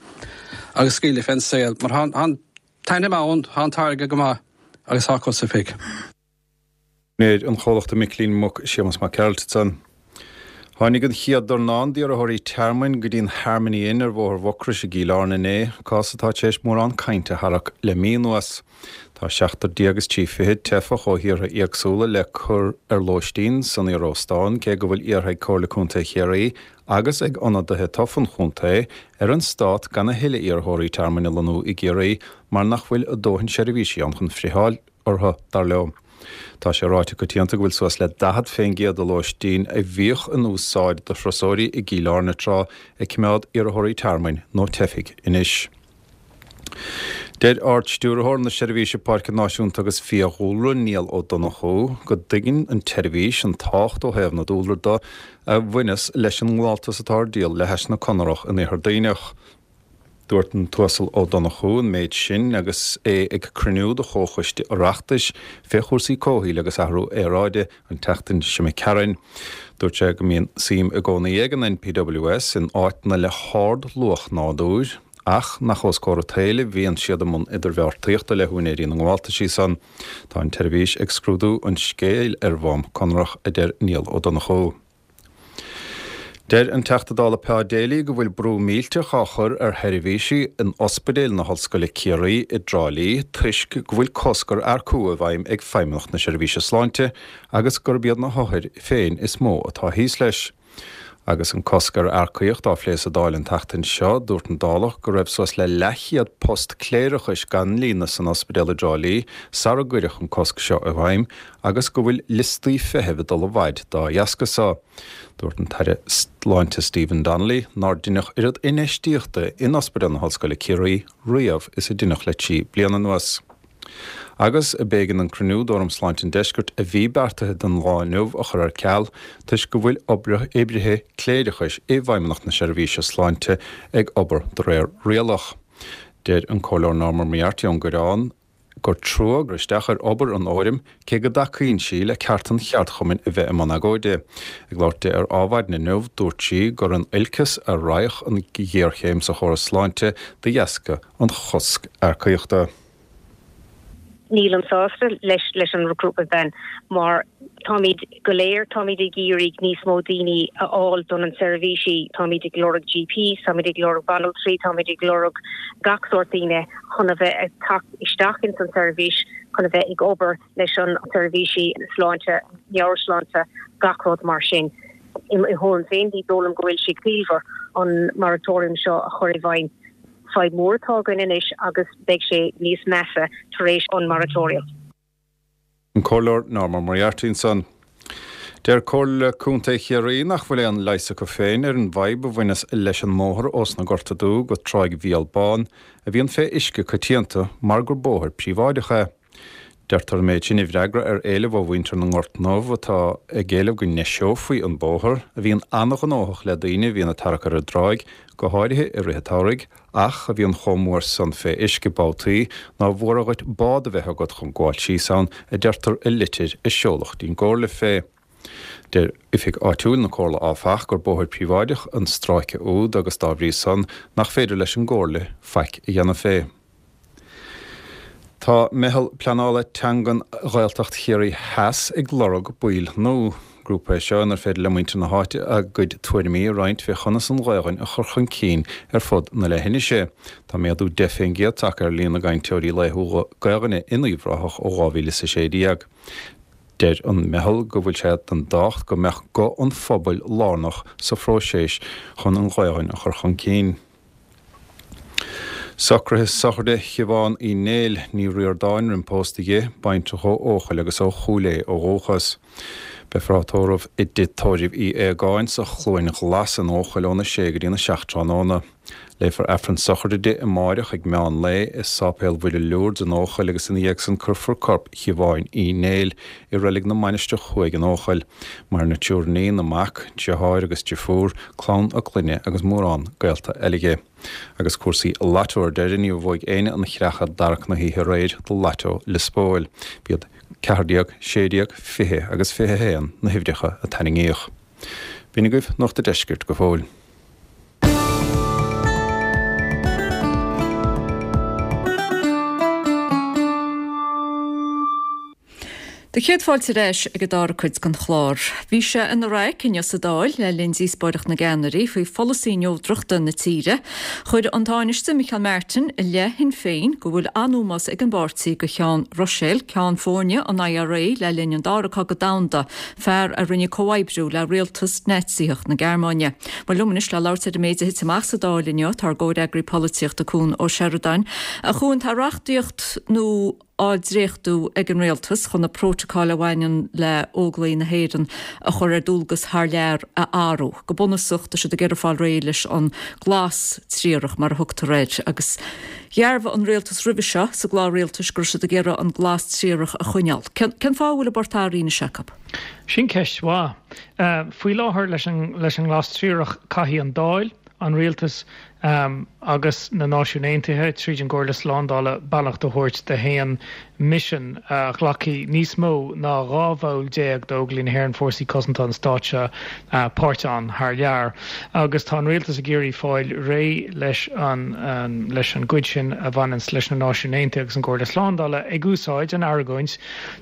agus scaoileadh fén saol mar tá an t-ainm ann, tá an táirge go maith agus tá cosa féig. Úinéir an chomhlachta Micilín Muc, Séamus Mac Gearailt ansan. Tháinig an chéad dornán d'iarrthóirí tearmainn go dtí an Harmony Inn ar Bhóthar Mhucrois i gCill Airne inné, cás atá tar éis mórán cainte a tharrac le mí anuas. Tá seachtar déag is trí fichid teifeach ó thíortha éagsúla le cur ar lóistín san iaróstán, cé go bhfuil iarrtha ag Comhairle Contae Chiarraí agus ag ionadaithe tofa an chontae ar an stát gan a thuilleadh iarrthóirí tearmainn a lonnú i gCiarraí mar nach bhfuil a dóthain seirbhísí ann chun friotháil orthu, dar leo. Tá sé ráite coitianta go bhfuil suas le daichead fén gcéad de lóistín a bhíodh in úsáid do thurasóirí i gCill Airne tráth ag coimeád iarrthóirí tearmainn nó teifigh anois. Deir Ard-Stiúrthóir na Seirbhíse Páirce Náisiúnta agus Fiadhúlra, Niall Ó Donnchú, go dtuigeann an tseirbhís an tábhacht ó thaobh na dúlra de a bhaineas leis an ngabháltas atá ar díol le hais na Conarach in Iarthar Duibhneach. Dúirt an tUasal Ó Donnchú an méid sin agus é ag cruinniú de Chomhchoiste Oireachtais fé chúrsaí comhshaoil agus athrú aeráide an tseachtain seo imigh tharainn. Dúirt sé go mbíonn suim i gcónaí ag an NPWS in áiteanna le hard-luach nádúir ach nach os comhair an tsaoil a bhíonn siad i mbun idirbheartaíochta le húinéirí na ngabháltaisí san. Tá an tseirbhís ag scrúdú an scéil ar bhonn conrach, a deir Niall Ó Donnchú. Deir an Teachta Dála Pa Daly go bhfuil brú millteach á chur ar sheirbhísí in Ospidéal na hOllscoile Ciarraí i dTrá Lí toisc go bhfuil cosc ar earcú i bhfeidhm ag Feidhmeannacht na Seirbhíse Sláinte agus gurb iad na hothair féin is mó atá thíos leis. Agus an cosc ar earcaíocht á phlé sa Dáil an tseachtain seo, dúirt an Dálach go raibh suas le leathchéad post cléireachais gan líonadh san ospidéal i dTrá Lí sara gcuireadh an cosc seo i bhfeidhm agus go bhfuil liostaí feithimh ag dul i bhfaid dá dheasca so. Dúirt an tAire Sláinte Stephen Donnelly nár deineadh oiread infheistíochta in Ospidéal na hOllscoile Ciarraí riamh is a deineadh le trí bliana anuas. Agus b'éigean an cruinniú d'Fhóram Sláinte an Deiscirt a bhí beartaithe don lá inniu a chur ar ceal toisc go bhfuil oibrithe cléireachais i bhFeidhmeannacht na Seirbhíse Sláinte ag obair de réir rialach. Deir an Comhairleoir Norma Moriarty ón gCoireán gur trua gur isteach ar obair an Fhóraim cé go dtacaíonn sí le ceart an cheardchumainn a bheith i mbun agóide. Ag labhairt di ar Adhmhaidin inniu, dúirt sí gur in olcas a raghadh an ghéarchéim sa chóras sláinte de dheasca an chosc earcaíochta. Nílim sásta leis leis an recruitment ban mar táimid go léir, táimid ag iarraidh níos mó daoine a fháil don an seirbhísí, táimid ag lorg GPs, táimid ag lorg banaltraí, táimid ag lorg gach sórt daoine chun a bheith ag teacht isteach ins an seirbhís, chun a bheith ag obair leis an seirbhísí sláinte, meabhairshláinte, gach rud mar sin. I mo thuairim féin, ní dóigh liom go bhfuil sé ciallmhar an moratorium seo a chur i bhfeidhm. Fadhb mhór atá againn anois agus beidh sé níos measa tar éis an moratorium. An Comhairleoir Norma Moriarty ansan. Deir Comhairle Contae Chiarraí nach bhfuil aon leigheas acu féin ar an bhfadhb a bhaineas leis an mbóthar ós na Gorta Dubh go Tráigh Mhícheál Bán a bhíonn fé uisce coitianta mar gur bóthar príobháideach é. Deirtear an méid sin i bhfreagra ar éileamh ó mhuintir na nGort nDubh atá ag éileamh go ndeiseofaí an bóthar, a bhíonn an-ghnóthach le daoine a bhíonn ag tarrac ar an dtráigh, go háirithe i rith an tsamhraidh, ach a bhíonn chomh mór san fé uisce babhtaí nár mhór dhuit bád a bheith agat chun gabháil síos ann, a deirtear i litir a seoladh dtí'n gComhairle fé. Deir oifig áitiúil na Comhairle áfach gur bóthar príobháideach an stráice úd agus dá bhrí san nach féidir leis an gComhairle faic a dhéanamh fé. Tá Meitheal Pleanála Teangan Ghaeltacht Chiarraí Theas ag lorg baill nua. Grúpa é seo inar féidir le muintir na háite a gcuid tuairimí a roinnt fé chonas an Ghaelainn a chur chun cinn ar fud na leithinise. Tá méadú deich fén gcéad tagtha ar líon na gcainteoirí laethúla Gaelainne in Uíbh Ráthach ó dhá mhíle is a sé déag. Deir an Meitheal go bhfuil sé den dtábhacht go mbeadh guth an phobail lárnach sa phróiseas chun an Ghaelainn a chur chun cinn. Socruithe sochraide Shiobhán Uí Néill, Ní Ríordáin roim pósta dhi, baintreach ó Eochaill agus ó Chúil Aodha ó dhúchas. Beifear á tórramh i dTigh Tórraimh Uí Aogáin sa Chluain Ghlas in Eochaill óna sé go dtína seacht tráthnóna. Léifear Aifreann sochraide di amáireach ag meán lae i Sáipéal Mhuire Lourdes in Eochaill agus ina dhiaidh san cuirfear corp Shiobháin Uí Néill i Reilig na Mainistreach Thuaidh in Eochaill. Maireann a triúr iníon, a mac, deartháir agus deirfiúr, clann a clainne agus mórán gaolta eile dhi. Agus cúrsaí Lotto ar deireadh, níor bhuaigh éinne an chreach i dtarrac na hoíche aréir do Lotto Liospóil. B'iad ceathair déag, sé déag, fiche agus fiche a haon na huimhreacha a tarraingíodh. B'in agaibh Nuacht a' Deiscirt go fóill. Tá céad fáilte ar ais ag an dara cuid den chlár. Bhí sé ina raic inniu sa Dáil le linn díospóireacht na gceannairí faoi pholasaí neodrachta na tíre. Chuir an Tánaiste Micheál Martin i leith Shinn Féin go bhfuil an-ómós ag an bpáirtí do Sheán Ruiséal, ceann foirne an I R A le linn an Dara Cogadh Domhanda, fear a rinne comhoibriú le rialtas Naitsíoch na Gearmáine. Mar liom anois le labhairt ar an méid a thit amach sa Dáil inniu tá ár gcomhfhreagraí polaitíochta Cuan Ó Seireadáin. A Chuain, tá reachtaíocht nua á dréachtú ag an rialtas chun na prótacail a bhaineann le Óglaigh na hÉireann a chur ar dualgas thar lear a athrú. Go bunúsach tá siad ag iarraidh fáil réidh leis an glas triarach mar a thugtar air agus dhearbhaigh an rialtas roimhe seo sa gclár rialtais go raibh siad ag iarraidh an glas triarach a choinneáil. Cén fáth a bhfuil an port athraithe anois acu? Sin ceist mhaith. Faoi láthair leis an leis an nglas triarach caithfidh an Dáil, an rialtas um, agus na Náisiúin Aontaithe tríd an gComhairle Slándála beannacht a thabhairt d'aon misean a ghlacfaidh níos mó ná dhá bhall déag d'Óglaigh na hÉireann Fórsaí Cosanta an Stáit seo uh, páirt ann thar lear. Agus tá an rialtas ag iarraidh fáil réidh leis an, an leis an gcuid sin a bhaineann leis na Náisiúin Aontaithe agus an Chomhairle Slándála ag úsáid an argóint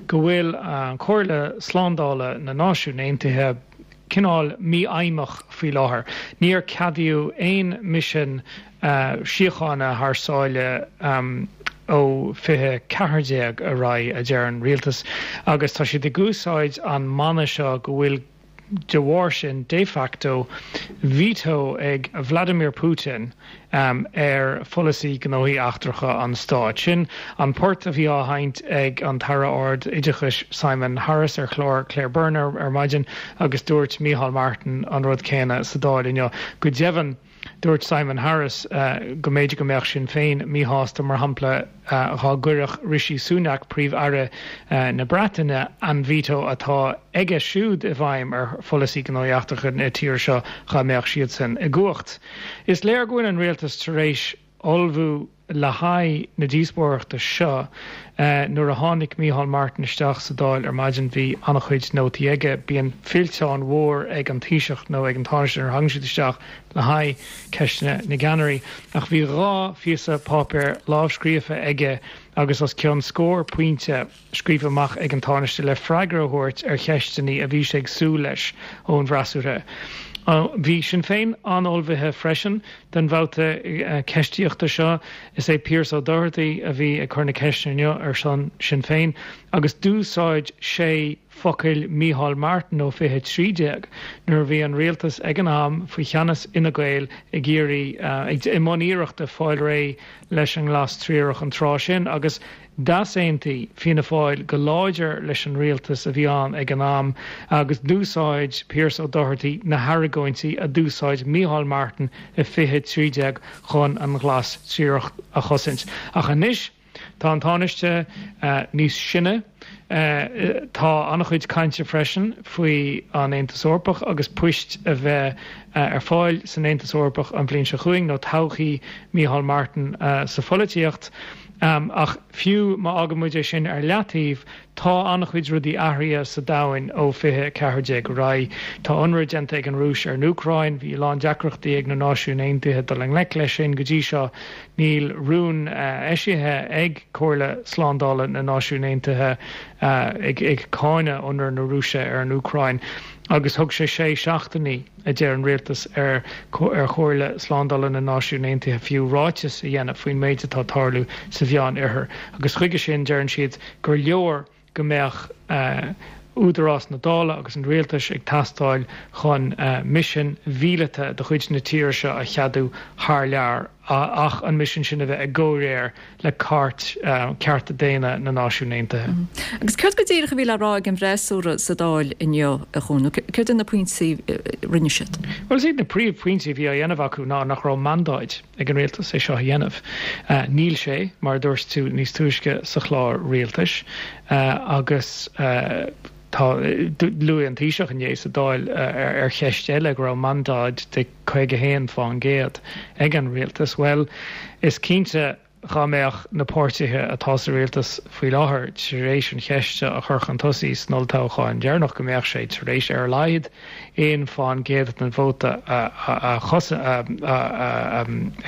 go bhfuil an Chomhairle Slándála na Náisiún Aontaithe cineál mífheidhmeach faoi láthair. Níor ceadaíodh aon misean uh, síochána thar sáile um, ó fiche ceathair déag ar aghaidh a deir an rialtas, agus tá siad ag úsáid an mana seo go bhfuil de bharr sin de facto veto ag Vladimir Putin um, ar pholasaí gnóthaí eachtracha an stáit. Sin an port a bhí á sheinnt ag an tAire Ard-Oideachais Simon Harris ar chlár Claire Byrne ar maidin agus dúirt Micheál Martin an rud céanna sa Dáil inniu. Go deimhin dúirt Simon Harris uh, go mb'fhéidir go mbeadh Sinn Féin míshásta mar shampla uh, dá gcuirfeadh Rishi Sunak príomh-aire uh, na Breataine an veto atá aige siúd i bhfeidhm ar pholasaí gnóthaí eachtracha na tíre seo dá mbeadh siad sin i gcumhacht. Is léir go bhfuil an rialtas tar éis ullmhú le haghaidh na díospóireachta seo uh, nuair a tháinig Micheál Martin isteach sa Dáil ar maidin bhí an-chuid nótaí aige bíonn fillteán mór ag an Taoiseach nó ag an Tánaiste nuair a thagann siad isteach le haghaidh ceisteanna na gceannairí ach bhí dhá phíosa páipéir lámhscríofa aige agus os cionn scór pointe scríofa amach ag an Tánaiste le freagra a thabhairt ar cheisteanna a bhí sé ag súil leis ón bhfreasúra. Bhí Sinn Féin an-ullmhaithe freisin don bhabhta ceistíochta seo is é Pearse O'Doherty a bhí ag cur na ceisteanna inniu ar son Sinn Féin agus d'úsáid sé focail Micheál Martin ó fiche trí déag nuair a bhí an rialtas ag an am faoi cheannas Fhine Gael ag iarraidh i mbun iarrachta fáil réidh leis an nglas triarach an tráth sin agus d'easaontaigh Fianna Fáil go láidir leis an rialtas a bhí ann ag an am agus d'úsáid Pearse O'Doherty na hargóintí a d'úsáid Micheál Martin i fiche trí déag chun an ghlas triarach a chosaint. Ach anois tá an Tánaiste uh, níos sine, Uh, tá an-chuid cainte freisin faoi an Aontas Eorpach agus poist a bheith uh, ar fáil san Aontas Eorpach an bhliain seo chugainn nó todhchaí Micheál Martin uh, sa pholaitíocht. Um, ach fiú má fhágann muid é sin ar leataobh tá an-chuid rudaí athraithe sa domhan ó fiche ceathair déag ar aghaidh. Tá ionradh déanta ag an Rúis ar an Úcráin, bhí lán deacrachtaí ag na Náisiúin Aontaithe dul i ngleic leis sin go dtí seo níl rún uh, eisithe ag Comhairle Slándála na Náisiún Aontaithe uh, ag, ag cáineadh ionradh na Rúise ar an Úcráin. Agus thug sé sé seachtainí a deir an rialtas ar ar Chomhairle Slándála na Náisiún Aontaithe fiú ráiteas a dhéanamh faoin méid atá ag tarlú sa Mheánoirthear. Agus chuige sin deireann siad gur leor go mbeadh uh, údarás na Dála agus an rialtais ag teastáil chun uh, misean mhíleata de chuid na tíre seo a cheadú thar lear ach an misean sin a bheith i gcomhréir le cairt uh, cearta daonna na Náisiún Aontaithe. Mm. Agus céard go díreach a bhí le rá ag an bhfreasúra sa Dáil inniu a Chuain, céard na pointí rinne siad. Well is iad na príomhphointí a bhí á dhéanamh acu ná nach raibh mandáid ag an rialtas é seo a dhéanamh. Uh, níl sé mar dúirt tú níos túisce sa chlár rialtais uh, agus uh, tá luaigh an Taoiseach inné sa Dáil ar, ar cheist eile go raibh mandáid de caoga haon faoin gcéad ag an rialtas. Well, is cinnte dhá mbeadh na páirtithe atá sa rialtas faoi láthair tar éis an cheist a chur chun tosaigh san olltoghchán deireanach go mbeadh sé tar éis ar a laghad aon faoin gcéad den vóta a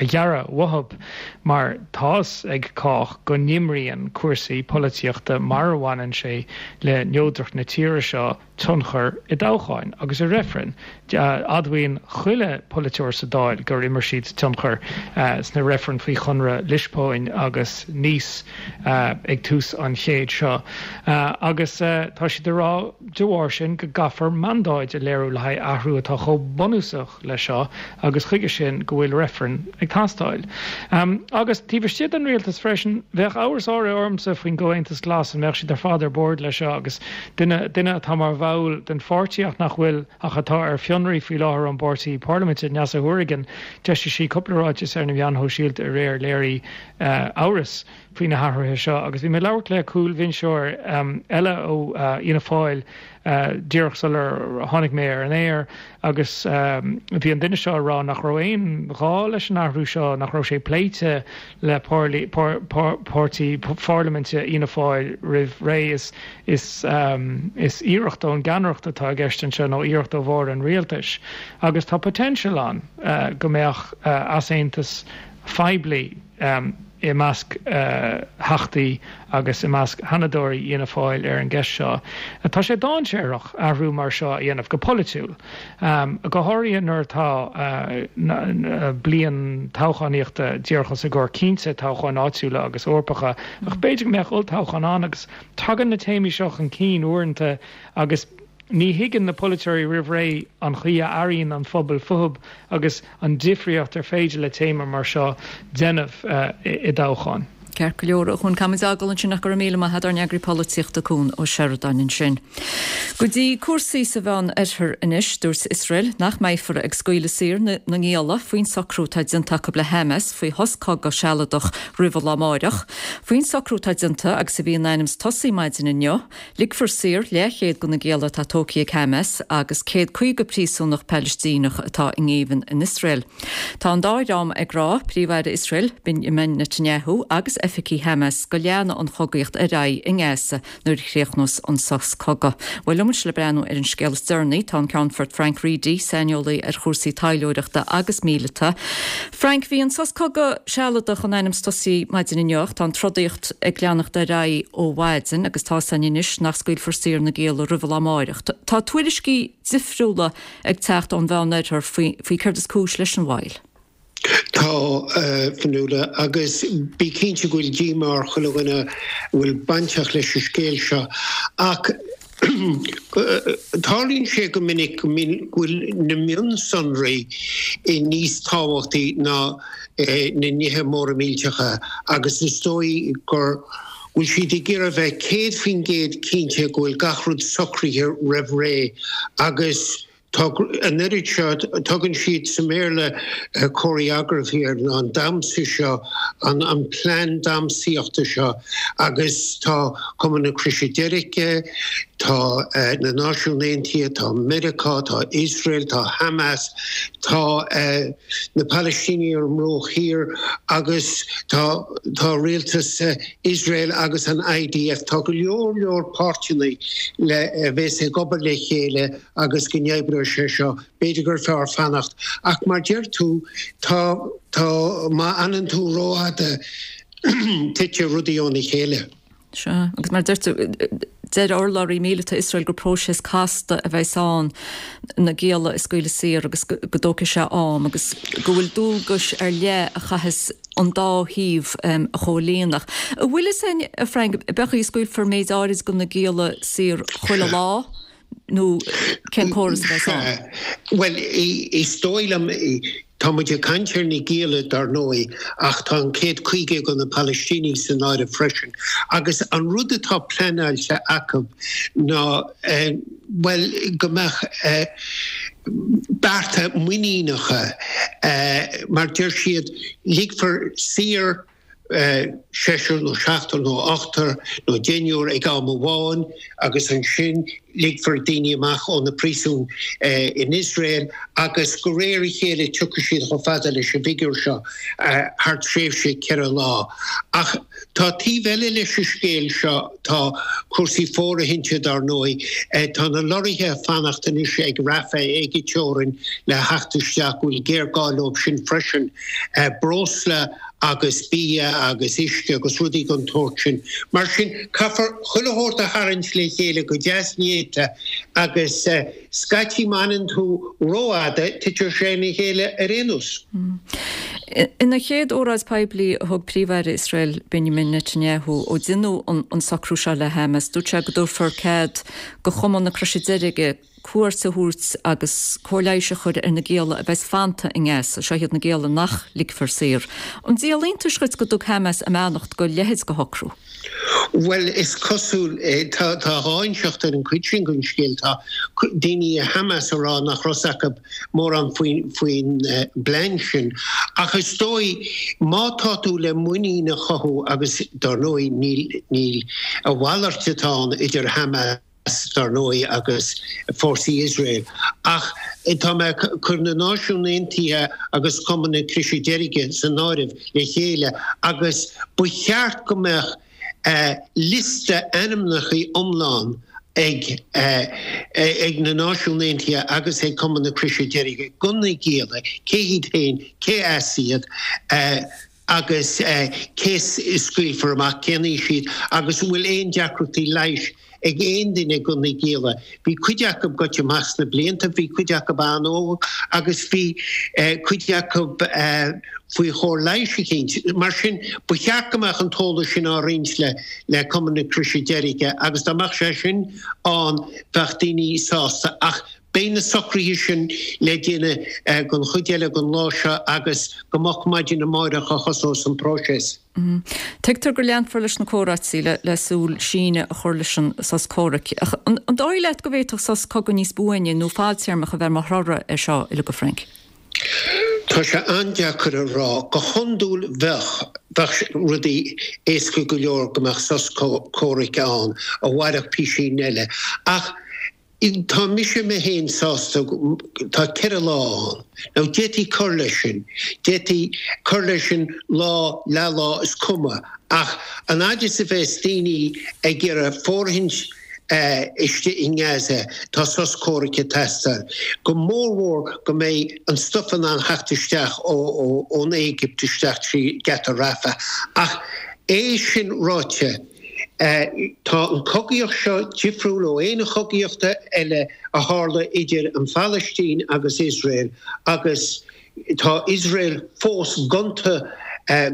ghearradh uathu mar tá's ag cách go n-imríonn cúrsaí polaitíochta mar a bhaineann sé le neodracht na tíre seo tionchar i dtoghcháin agus i reifrinn. Admhaíonn chuile polaiteoir sa Dáil gur imir siad tionchar sna reifrinn faoi Chonradh Liospóin agus Nice ag tús an chéid seo. Agus tá siad ag rá de bharr sin go gcaithfear mandáid a léiriú le haghaidh athrú atá chomh bunúsach leis seo agus chuige sin go bhfuil reifreann ag teastáil. Agus taobh istigh den rialtas freisin, bheadh amhras áirithe ormsa faoin gComhaontas Glas an mbeadh siad ar fad ar bord leis seo agus duine duine atá mar bhall den pháirtí ach nach bhfuil ach atá ar fionraí faoi láthair ón bpáirtí parlaiminte, Neasa Hourigan, d'eisigh sí cúpla ráiteas ar na meáin shóisialta aréir léirigh amhras faoi na hathruithe seo agus bhí mé ag labhairt le cúlbhinseoir eile ó Fhianna Fáil díreach sular tháinig mé ar an aer agus bhí an duine seo ag rá nach raibh aon ghá leis an athrú seo, nach raibh sé pléite le páirtí pharlaiminte Fhianna Fáil roimh ré. Is is is iarracht ón gceannaireacht atá i gceist anseo nó iarracht ó bharr an rialtais agus tá potential ann go mbeadh easaontas phoiblí i measc Theachtaí agus i measc Sheanadóirí Fhianna Fáil ar an gceist seo. Tá sé dainséarach athrú mar seo a dhéanamh go polaitiúil, go háirithe nuair atá bliain toghchánaíochta díreach os ár gcomhair, cinnte toghcháin áitiúla agus Eorpacha, ach b'fhéidir go mbeadh olltoghchán ann agus tagann na téamaí seo chun cinn uaireanta agus Ní thuigeann na polaiteoirí roimh ré an chaoi a airíonn an phobal fúthu agus an difríocht ar féidir le téama mar seo déanamh i dtoghchán. Ceart go leor, a Chuain, caithfimid fágáil ansin ach go raibh míle maith agat, ár n-eagraí polaitíochta Cuan Ó Seireadáin ansin. Go dtí cúrsaí sa Mheán Oirthear anois, dúirt Iosrael nach mbeifear ag scaoileadh saor na ngialla faoin socrú atá déanta acu le Hamas faoi shos cogaidh sealadach roimh an lá amáireach. Faoin socrú atá déanta agus a bhí in ainm is tosaí maidin inniu, Ligfear saor leathchéad de na gialla atá tógtha ag Hamas agus céad caoga príosúnach Palaistíneach atá i ngéibheann in Iosrael. Tá an dá dhream ag rá, Príomh-Aire Iosrael, Benjamin Netanyahu, agus oifigigh Hamas, go leanfaidh an chogaíocht ar aghaidh i nGaza nuair a chríochnós an sos cogaidh. Bhuel, liom anois le breathnú ar an scéal is deireanaí, tá an Ceannfort Frank Reidy, saineolaí ar chúrsaí taidhleoireachta agus míleata. Frank, bhí an sos cogaidh sealadach in ainm is tosaí maidin inniu ach tá an trodaíocht ag leanacht ar aghaidh ó mhaidin agus tá 's againn anois nach scaoilfear saor na gialla roimh an lá amáireach. Tá tuairiscí difriúla ag teacht ón Mheán Oirthear faoi faoi céard is cúis leis an mhoill. Tá, a Fionnuala, agus bí cinnte go bhfuil díomá ar chuile dhuine a bhfuil bainteach leis an scéal seo. Ach tarlaíonn sé go minic go bhfuil na mionsonraí níos tábhachtaí ná na nithe móra millteacha agus is dóigh gur bhfuil siad ag iarraidh a bheith céad faoin gcéad cinnte go bhfuil gach rud socraithe roimh ré agus tá an oiread seo, tugann siad sa mBéarla choreography air, ná an damhsa seo, an plean damhsaíochta seo agus tá Cumann na Croise Deirge, tá na Náisiúin Aontaithe, tá Meiriceá, tá Iosrael, tá Hamas, tá na Palaistínigh ar an mBruach Thiar agus tá tá rialtas Iosrael agus an I D F. Tá go leor leor páirteanna le a bheas ag obair le chéile agus go n-oibreoidh sé seo. B'fhéidir gur fearr fanacht. Ach mar deir tú, tá tá má fhanann tú rófhada titfidh rudaí óna chéile. Sea, agus mar a deir tú, deir urlabhraí míleata Iosrael gur próiseas casta a bheas ann na gialla a scaoileadh saor agus go dtógfaidh sé am agus go bhfuil dualgais ar leith a chaithfeas an dá thaobh a chomhlíonadh. An bhfuil fhios againn, a Frank, an é go scaoilfear méid áirid de na gialla saor chuile lá nó cén córas a bheas ann? Bhuel, is dóigh liom, tá muid ag caint ar na gialla dar ndóigh, ach tá an céad caoga de na Palaistínigh san áireamh freisin. Agus an rud atá pleanáilte acu ná, bhuel, go mbeadh bearta muiníneacha, mar deir siad, ligfear saor, seisear nó seachtar nó ochtar nó deichniúr ag am amháin agus ansin ligfear daoine amach ó na príosúin in Iosrael agus de réir a chéile tiocfaidh siad chomh fada leis an bhfigiúr seo thar tréimhse ceithre lá. Ach tá taobh eile leis an scéal seo, tá cúrsaí fóirithinte dar ndóigh, tá na lorraithe ag fanacht anois ag Rafah ag an teorainn le theacht isteach, go bhfuil géarghá leo sin freisin, breosla agus bia agus uisce agus rudaí den tsórt sin. Mar sin, caithfear chuile shórt a tharraingt le chéile go deas néata agus scaití má fhanann tú rófhada, titeann sé ina chéile ar aon nós. Ina chéad óráid poiblí a thug Príomh-Aire Iosrael Benjamin Netanyahu ó deineadh an socrú seo le Hamas, dúirt sé go dtabharfar cead do Chumann na Croise Deirge cuairt a thabhairt agus cóir leighis a chur ar na gialla a bheas fanta i nGaza, seo iad na gialla nach ligfear saor. An díol iontais dhuit go dtug Hamas a mbeannacht do leithéid de shocrú? Bhuel, is cosúil, tá dhá inseacht ar an chuid sin den scéal. Tá daoine i Hamas ag rá nach raibh fhios acu mórán faoin bplean sin. Ach is dóigh, má tá tú le muinín a chothú, agus dar ndóigh níl a mhalairt atá ann idir Hamas, dar ndóigh, agus fórsaí Iosrael. Ach tá mé ag cur na Náisiún Aontaithe agus Cumann na Croise Deirge san áireamh le chéile agus ba cheart go mbeadh liosta ainmneacha iomlán ag ag na Náisiún Aontaithe agus ag Cumann na Croise Deirge de na gialla, cé hiad féin, cé as iad, agus cé a scaoilfear amach, cén aois iad agus an bhfuil aon deacrachtaí leighis ag aon duine de na gialla. Bhí cuid acu goite amach sna blianta, bhí cuid acu an-óg agus bhí cuid acu faoi chóir leighis eicínt. Mar sin, ba cheart go mbeadh an t-eolas sin á roinnt le Cumann na Croise Deirge agus dá mbeadh sé sin ann bheadh daoine sásta. Ach beidh na socruithe sin le déanamh don chuid eile den lá seo agus go moch maidin amáireach a thosós an próiseas. Tuigtear go leanfar leis na comhráití le súil síneadh a chur leis an sos comhraic. Ach an dóigh leat go bhféadfadh sos cogaidh níos buaine nó fadtéarmach a bheith mar thoradh air seo uilig, a Frank? Tá sé an-deacair a rá. Go hiondúil bheadh, bheadh rudaí éasca go leor go mbeadh sos comhraic ann a mhairfeadh písín eile. Ach tá mise mé féin sásta, tá ceithre lá ann. Now d'fhéadfaí cur leis sin, d'fhéadfaí cur leis sin lá, leathlá, is cuma. Ach an fhaid is a bheas daoine ag iarraidh fóirithint istigh i nGaza, tá sos comhraic ag teastáil. Go mórmhór go mbeidh an stuif in ann theacht isteach ón Éigipt isteach trí gheata Rafah. Ach é sin ráite, tá an chogaíocht seo difriúil ó aon chogaíocht eile a tharla idir an Phalaistín agus Iosrael agus tá Iosrael fós gonta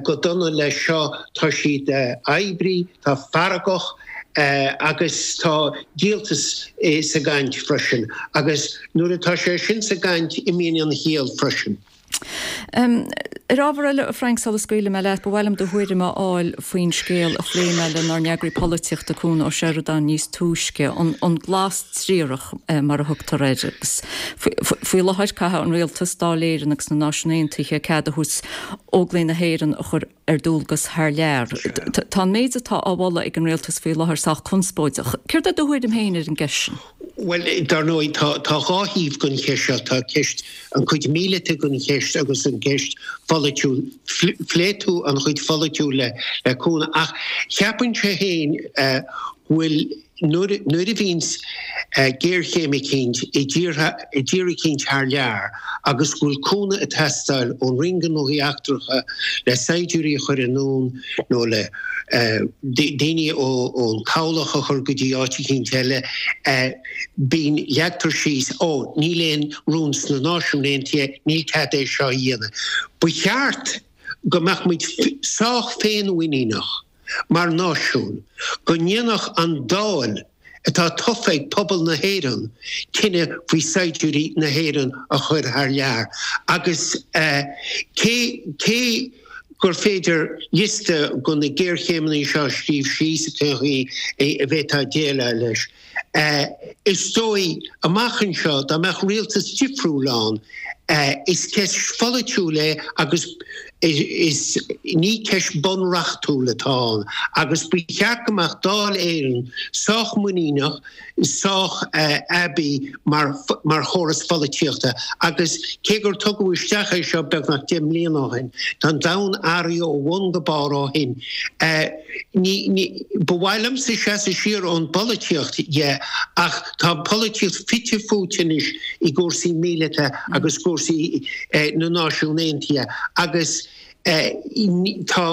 go dona leis seo, tá siad oibrithe, tá feargach agus tá díoltas sa gcaint freisin agus nuair atá sé sin sa gcaint imíonn an chiall freisin. Ar ábhar eile, a Frank, sula scaoilfidh mé leat, ba mhaith liom do thuairim a fháil faoin scéal a phléigh mé lenár n-eagraí polaitíochta Cuan Ó Seireadáin níos túisce, an glas triarach mar a thugtar air. Agus faoi láthair caithfidh an rialtas, Dáil Éireann agus na Náisiúin Aontaithe cead a thabhairt Óglaigh na hÉireann a chur ar dualgas thar lear. Tá an méid atá á mholadh ag an rialtas faoi láthair sách conspóideach. Céard é do thuairim féin ar an gceist sin? Bhuel, dar ndóigh, tá tá dhá thaobh den cheist seo. Tá ceist, an chuid mhíleata den cheist agus an cheist pholaitiúil. Phléigh tú an chuid pholaitiúil le le Cuan ach cheapfainnse féin go bhfuil nuair nuair a bhíonns géarchéim eicínt i dtíortha i dtír eicínt thar lear agus go bhfuil cúnamh ag teastáil ón Roinn Gnóthaí Eachtracha le saighdiúirí a chur anonn nó le daoine ón chabhlach a chur go dtí áit eicínt eile, bíonn, leagtar síos, ó, níl aon rún sna Náisiúin Aontaithe, níl cead é seo a dhéanamh. Ba cheart go mbeadh muid sách féinmhuiníneach mar náisiún go ndéanfadh an Dáil atá tofa ag pobal na hÉireann cinneadh faoi saighdiúirí na hÉireann a chur thar lear agus cé cé gur féidir liosta de na géarchéimeanna seo a scríobh síos cén chaoi a bhféadfá déileáil leis. Is dóigh, amach anseo, dá mbeadh rialtas difriúil ann, is ceist pholaitiúil é agus Is ní ceist bunreachtúil atá ann agus ba cheart go mbeadh Dáil Éireann sách muiníneach, sách aibí mar mar chóras pholaitíochta agus cé gur tugadh isteach é seo beagnach deich mbliana ó shin, tá an domhan athraithe ó bhun go barr ó shin. Ní ní ba mhaith liomsa seasamh siar ón bpolaitíocht dhe ach tá an pholaitíocht fite fuaite anois i gcúrsaí míleata agus cúrsaí na Náisiún Aontaithe agus tá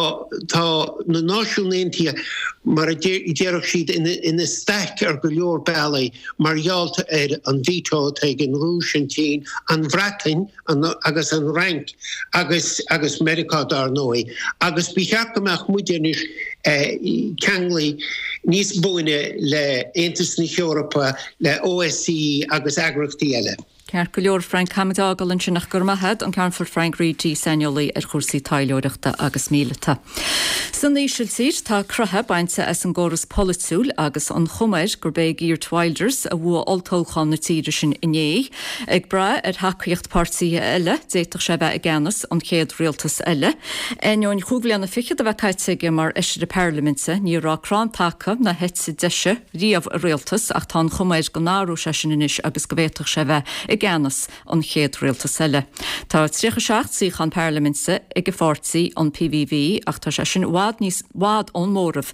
tá na Náisiún Aontaithe mar a déarfadh siad ina staic ar go leor bealaí mar gheall ar an veto atá ag an Rúis, an tSín, an Bhreatain agus an Fhrainc agus agus Meiriceá dar ndóigh agus ba cheart go mbeadh muid anois ceanglaithe níos buaine le Aontas na hEorpa, le OSCE agus eagraíochtaí eile. Ceart go leor Frank caithfimid é a fhágáil ansin ach go raibh maith agat, an Ceannfort Frank Reidy, saineolaí ar chúrsaí taidhleoireachta agus míleata. San Ísiltír tá croitheadh bainte as an gcóras polaitiúil agus an chuma air gurb é Geert Wilders a bhuaigh olltoghchán na tíre sin inné. Ag brath ar thacaíocht páirtithe eile, d'fhéadfadh sé bheith i gceannas an chéad rialtas eile. Ainneoin chúig bhliana fichead a bheith caite aige mar fheisire parlaiminte, ní raibh crann taca na heite deise riamh i rialtas ach tá an chuma air go n-athróidh sé sin anois agus go bhféadfadh sé bheith i gceannas an chéad rialtas eile. Tá tríocha seacht suíochán parlaiminte ag a pháirtí an PVV ach tá sé sin i bhfad níos bhfad ón móramh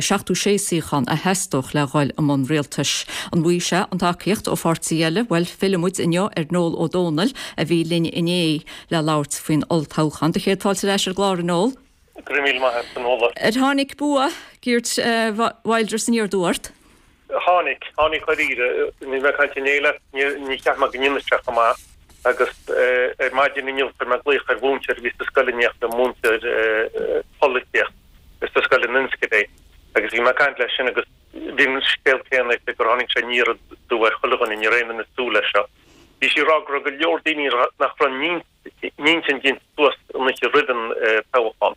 seachtó sé suíochán a theastódh le dhul i mbun rialtais. An bhfaighidh sé an tacaíocht ó pháirtí eile bhuel fillfidh muid inniu ar Noel Ó Dónaill a bhí linn inné le labhairt faoin olltoghchán. Do chéad fáilte ar ais ar an gclár a Noel. Go raibh míle maith agat Fionnuala. Ar tháinig bua Geert Wilders aniar aduaidh ort? Tháinig, tháinig dáiríre. Bhí mé ag caint inné leat, ní cheap mé go ndéanfadh sé chomh maith agus ar maidin inniu chuir mé glaoch ar mhúinteoir a bhí sa scoil in éineacht liom, múinteoir polaitíocht sa scoil in Enschede agus bhí mé ag caint leis sin agus bhí an scéal céanna aici gur tháinig sé aniar aduaidh ar chuile dhuine, ní raibh aon duine ag súil leis seo. Bhí sí ag rá go raibh go leor daoine nach raibh n-intinn déanta suas an oíche roimh an toghchán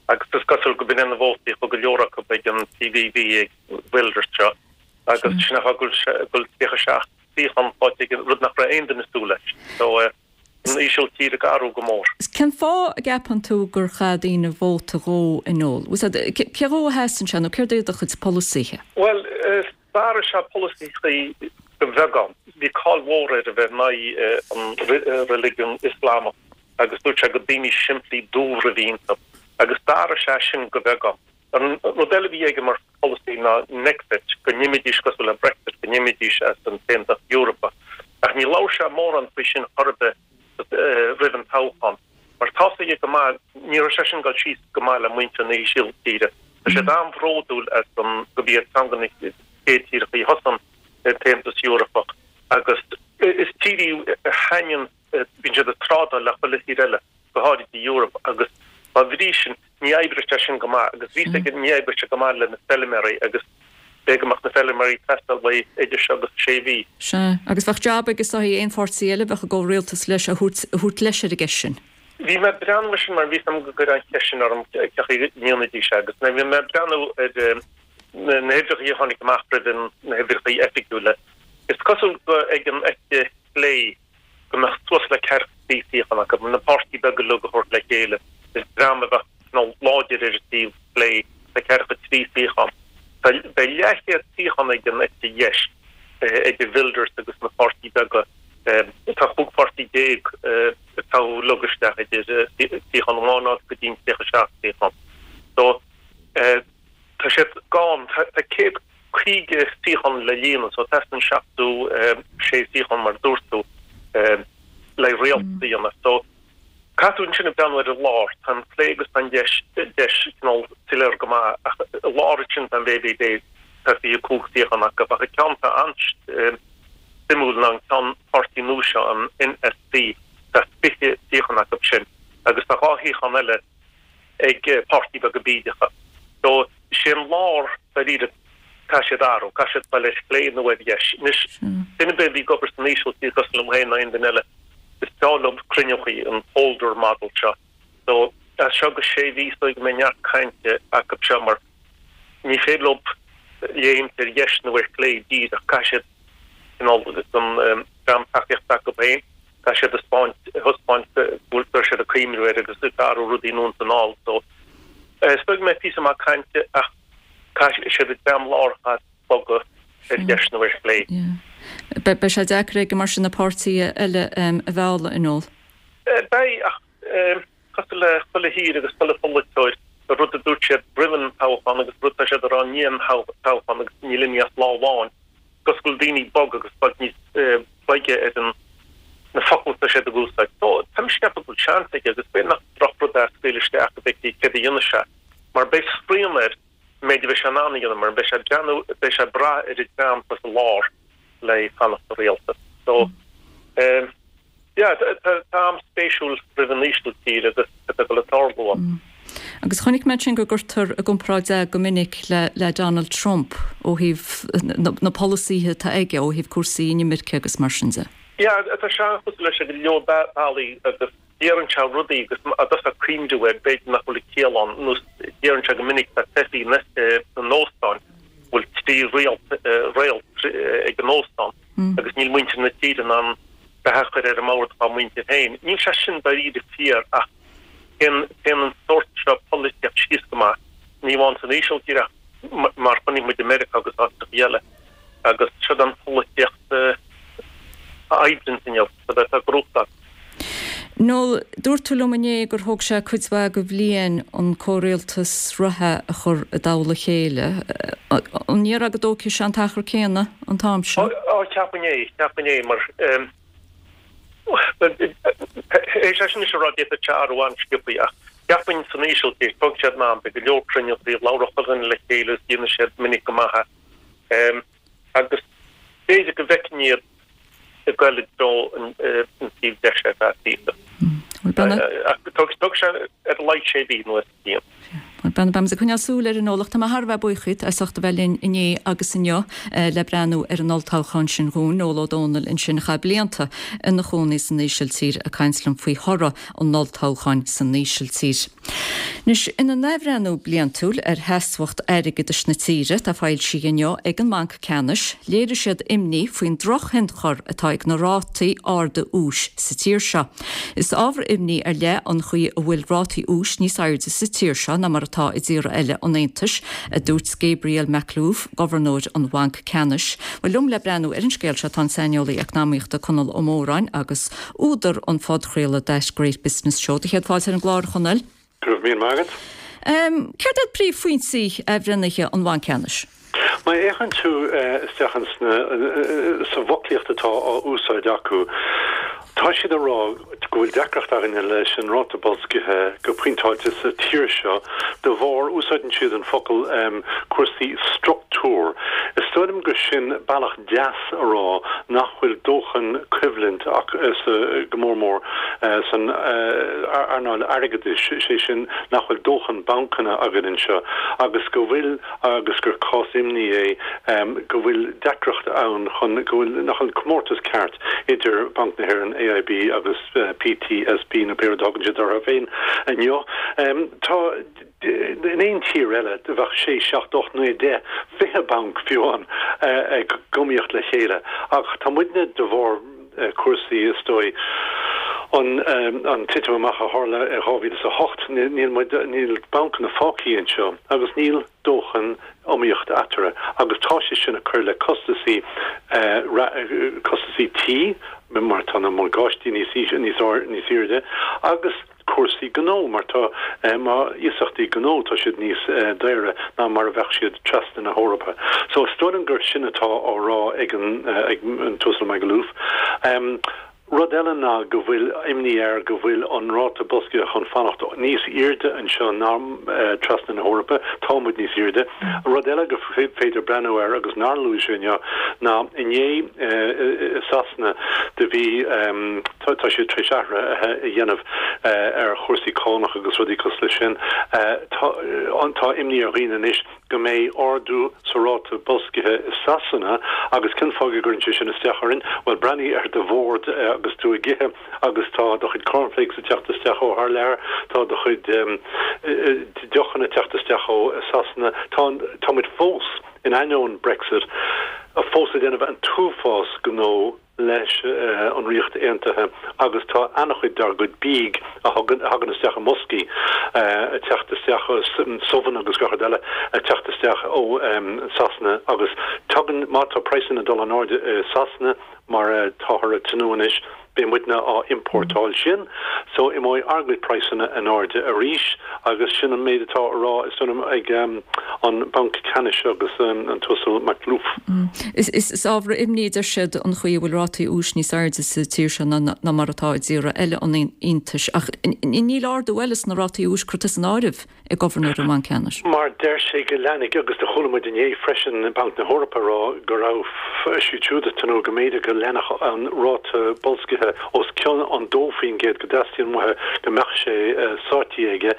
agus is cosúil go b'in é na vótaí a chuaigh go leor acu ag an PVV ag Wilders seo agus sin an fáth go bhfuil tríocha seacht suíochán faighte aige, rud nach raibh aon duine ag súil leis. So an Ísiltír ag athrú go mór. Cén fáth a gceapann tú gur chaith daoine vóta dhó a Noel? Cé dhó a sheasann sé nó céard é a chuid polasaithe? Bhuel, d'athraigh sé polasaithe de bheagán. Bhí cáil mhór air a bheith in aghaidh an reiligiún Ioslamach agus dúirt sé gur daoine simplí dúbhra a bhí iontu agus d'athraigh sé sin de bheagán. An rud eile a bhí aige mar pholasaí ná Nexit, go n-imídís cosúil le Brexit, go n-imídís as an tAontas Eorpach. Ach ní labhair sé mórán faoi sin chor ar bith roimh an toghchán. Mar tá's aige go maith, ní raibh sé sin ag dul síos go maith le muintir na hÍsiltíre. Tá siad an-bhródúil as an gurb iad ceann de na chéad tíortha a thosaigh an tAontas Eorpach agus is tír í a thaitníonn, bíonn siad ag trádáil le chuile thír eile, go háirid i Eoraip agus dá bhrí sin ní oibreoidh sé sin go maith agus bhí 's aige ní oibreoidh sé go maith le na feilméaraí agus b'fhéidir go mbeadh na feilméaraí ag teastáil uaidh idir seo agus sé mhí. Sea, agus bheadh jab aige is dóigh aon pháirtí eile a bheadh i gcomhrialtas leis a thabhairt leis ar an gceist sin. Bhí mé ag breathnú air sin mar bhí 's agam go gcuirfeá an cheist sin orm cén chaoi a ndéanfaidís é agus bhí mé ag breathnú ar na huimhreacha a tháinig amach roimh na huimhreacha oifigiúla. Is cosúil go ag an eite chlé go mbeadh suas le ceathracha trí suíochán acu, na páirtí beaga uilig a thabhairt le chéile, is dream a bheadh cineál láidir ar an taobh chlé, tá ceathracha trí suíochán. Tá beidh leathchéad suíochán ag an eite dheis, idir Wilders agus na páirtí beaga. Tá chúig pháirtí déag ag toghadh uilig isteach idir suíochán amháin a fháil go dtí an tríocha seacht suíochán. So, tá siad gann, tá céad caoga suíochán le líonadh so teastaíonn seachtó sé suíochán mar a dúirt tú le rialtas a dhéanamh. So caithfidh tú ansin ag breathnú ar an lár, tá an clé agus tá an deis deis cineál soiléir go maith ach i lár ansin tá an VVD tá fiche cúig suíochán acu ach an ceann atá an-suimiúil ná an ceann páirtí nua seo an NSC tá fiche suíochán acu sin agus tá dhá shuíochán eile ag páirtí beaga bídeacha. So, sé an lár, dáiríre, caithfidh siad athrú, caithfidh siad dul ar chlé nó ar dheis. Anois, duine ar bith a bhí ag obair san Ísiltír cosúil liom féin nó aon duine eile, is breá leo cruinniúchaí, an polder model seo. So, as seo go sé mhí is dóigh go mbeidh neart cainte acu seo mar ní féidir leo léimt ar dheis nó ar chlé díreach, caithfidh siad cineál an dream tacaíochta acu féin, Tá siad ag taispeáint go bhfuil siad ag cuimhniú air agus ag athrú rudaí anonn is anall so is dóigh go mbeidh píosa maith cainte ach caithfidh siad an dream lárach a bhogadh ar dheis nó ar chlé. Beidh sé deacair aige mar sin na páirtithe eile a mhealladh, a Noel? Beidh ach cosúil le chuile thír agus chuile pholaiteoir, an rud a dúirt siad roimh an toghchán agus rud atá siad a rá i ndiaidh an toghcháin agus níl imithe as lá amháin. Cosúil go bhfuil daoine bog agus bog níos boige ar an na focail atá siad ag úsáid. So, tá mise ag ceapadh go bhfuil seans aige agus b'fhéidir nach drochrud é scaoileadh isteach go bhfeicfí céard a dhéanfaidh sé mar beidh srian air an méid a bheidh sé in ann a dhéanamh mar beidh sé ag breathnú, beidh sé ag brath ar an dream atá sa lár le fanacht sa rialtas. So, yeah, tá am spéisiúil roimh an Ísiltír agus cad atá ag tarlú ann. Agus chonaic mé ansin go gcuirtear i gcomparáid é go minic le le Donald Trump ó thaobh na polasaithe atá aige ó thaobh cúrsaí inimirce agus mar sin de. Yeah, tá sé an-chosúil leis ar go leor bealaí agus deireann sé rudaí agus dá dtosófá ag cuimhniú air b'fhéidir nach bhfuil ciall ann, nós deireann sé go minic tá teifigh na n-óstán, bhfuil trí réalt réalt ag an óstán agus níl muintir na tíre in ann beatha a chur ar an mbord dá muintir féin. Níl sé sin dáiríre fíor ach téann téann an sórt seo polaitíocht síos go maith, ní amháin san Ísiltír ach mar chonaic muid i Meiriceá agus áiteacha eile agus siod an pholaitíocht a oibríonns inniu, siod é atá ag gnóthachtáil. Noel, dúirt tú liom inné gur thóg sé cuid mhaith de bhliain an comhrialtas reatha a chur i dtoll a chéile. An ndéarfá go dtógfaidh sé an t-achar céanna an t-am seo? Á, ceapaim é, ceapaim é, mar é sé sin is a rá d'fhéadfadh sé athrú an-sciobtha ach ceapaim san Ísiltír, tógfaidh sé am, beidh go leor cruinnithe, labhróidh chuile dhuine le chéile agus déanfaidh siad minic go maith é. Agus b'fhéidir go bhfeicfinn iad ag goil i dtreo an taobh deise ar feadh píosa. Ach tógfaidh sé ar a laghad sé mhí nó bliain. Bhuel, beimid ag coinneáil súil air a Noel ach tá mé thar a bheith buíoch díot as ucht a bheith linn inné agus inniu le breathnú ar an olltoghchán sin dhúinn. Noel Ó Dónaill ansin a chaith blianta ina chónaí san Ísiltír ag caint liom faoi thoradh an olltoghcháin san Ísiltír. Anois, ina n-athbhreithniú bliantúil ar sheasmhacht airgeadais na tíre atá foilsithe inniu ag an mBanc Ceannais, léirigh siad imní faoin drochthionchar atá ag na rátaí arda úis sa tír seo. Is ábhar imní ar leith an chaoi a bhfuil rátaí úis níos airde sa tír seo ná mar atá i dtíortha eile an Aontais, a dúirt Gabriel Makhlouf, Gobharnóir an Bhainc Ceannais. Bhuel, liom le breathnú ar an scéal seo tá an saineolaí eacnamaíochta Conall Ó Móráin agus údar an phodchraoladh That Great Business Show. Do chéad fáilte ar an gclár, a Chonaill. Go raibh míle maith agat. Céard iad príomhphointí athbhreithnithe an Bhainc Ceannais? Má fhéachann tú isteach sa bhfoclaíocht atá á úsáid acu, tá siad ag rá go bhfuil deacracht againne leis an ráta boilscithe go pointeáilte sa tír seo de bharr, úsáideann siad an focal cúrsaí struchtúr. Is dóigh liom gur sin bealach deas a rá nach bhfuil dóthain coimhlint sa, go mór mór san earnáil airgeadais, sé sin nach bhfuil dóthain bancanna againn anseo agus go bhfuil agus gur cás imní é go bhfuil deacracht ann chun go bhfuil nach bhfuil comórtas ceart idir Banc na hÉireann, AIB agus PTSB nó pé rud a thugann siad orthu féin inniu. Tá in aon tír eile bheadh sé, seacht, ocht, naoi, deich, fiche banc fiú ann ag iomaíocht le chéile ach tá muidne de bharr cúrsaí is dóigh an an titim amach a tharla i dhá mhíle is a hocht níl muid níl bancanna fágtha anseo agus níl dóthain iomaíocht eatarthu agus tá sé sin ag cur le costasaí costasaí tí mar tá na morgáistí níos níos níos airde agus cúrsaí gnó mar tá má iasachtaí gnó tá siad níos daoire ná mar a bheadh siad trasna na hEorpa. So is dóigh liom gur sin atá á rá ag an ag an tUasal Makhlouf. Rud eile ná go bhfuil imní air go bhfuil an ráta boilscithe chun fanacht níos airde anseo ná trasna na hEorpa. Tá muid níos airde. Rud eile gur féidir breathnú air agus nár luaigh sé inniu ná inné i Sasana do bhí tá siad tar éis athruithe a dhéanamh ar chúrsaí cánach agus rudaí cosúil leis sin. Tá tá imní ar dhaoine anois go mbeidh ardú sa ráta boilscithe i Sasana agus cén fáth go gcuireann sé sin isteach orainn? Bhuel, breathnaigh ar do bhord agus tú ag ithe agus tá do chuid cornflakes ag teacht isteach ó thar lear, tá do chuid deochanna ag teacht isteach ó Sasana. Tá, tá muid fós, in ainneoin Brexit, fós ag déanamh an t-uafás gnó leis an Ríocht Aontaithe agus tá an-chuid dár gcuid bídh a thagann isteach i mboscaí ag teacht isteach, subhanna agus gach rud eile ag teacht isteach ó Sasana agus tagann, má tá praghsanna ag dul in airde i Sasana mar atáthar ag tnúth anois, Beidh muidne á importáil sin, so imeoidh ár gcuid praghsanna in airde arís agus sin an méid atá á rá is dóigh liom ag an Banc Ceannais agus an tUasal Makhlouf. Is ábhar imní a deir siad an chaoi a bhfuil rátaí úis níos airde sa tír seo ná mar atá i dtíortha eile an Aontais ach níl ardú eile sna rátaí úis curtha san áireamh ag Gobharnóir an Bhainc Ceannais. Mar deir sé go leanfaidh, agus do chuala muid inné freisin Banc na hEorpa ag rá go raibh siad siúd ag tnúth go mb'fhéidir go leanfadh an ráta boilscithe os cionn an dó faoin gcéad go dteastaíonn uathu go mbeadh sé sáití aige,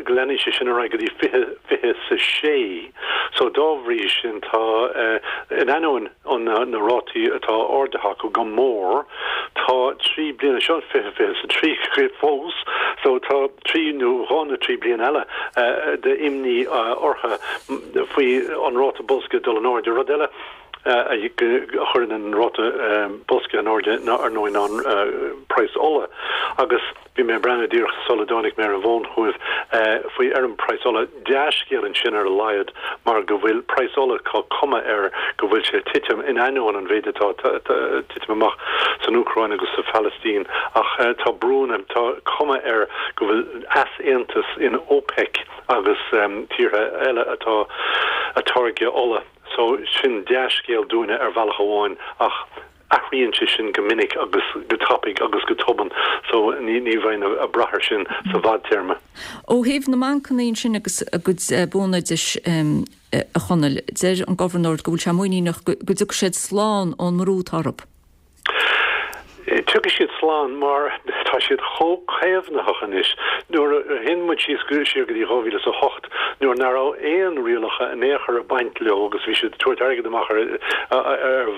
go leanfaidh sé sin ar aghaidh go dtí fiche fiche is a sé. So dá bhrí sin tá, in ainneoin na rátaí atá ardaithe acu go mór, tá trí bliana, seo fiche fiche is a trí fós, so tá trí nó dhá nó trí bliana eile d'imní orthu faoi an ráta boilscithe dul in airde. Rud eile a chuireann an ráta boilscithe in airde ná, ar ndóigh, ná an praghas ola. Agus bhí mé ag breathnú díreach sula dtáinig mé ar an bhfón chugaibh faoi ar an praghas ola. Dea-scéal ansin ar a laghad mar go bhfuil praghas ola, tá cuma air go bhfuil sé ag titim in ainneoin an mhéid atá ag titim amach san Úcráin agus sa Phalaistín. Ach tá brúnna, tá cuma air go bhfuil easaontas in OPEC agus tíortha eile atá ag táirgeadh ola. So sin dea-scéal dúinne ar bhealach amháin ach athraíonn sé sin go minic agus go tapaidh agus go tobann so ní ní bheinn ag brath air sin sa bhfadtéarma. Ó thaobh na mbancanna ansin agus a gcuid buanfhoideas a Chonaill, deir an Gobharnóir go bhfuil sé muiníneach go dtiocfaidh siad slán ón mbrú atá orthu. Tiocfaidh siad slán mar tá siad chomh caomhnaitheach anois. Nuair a théann muid síos siar go dtí dhá mhíle is a hocht nuair nach raibh aon rialacha in aon chor ag baint leo agus bhí siad ag tabhairt airgead amach ar ar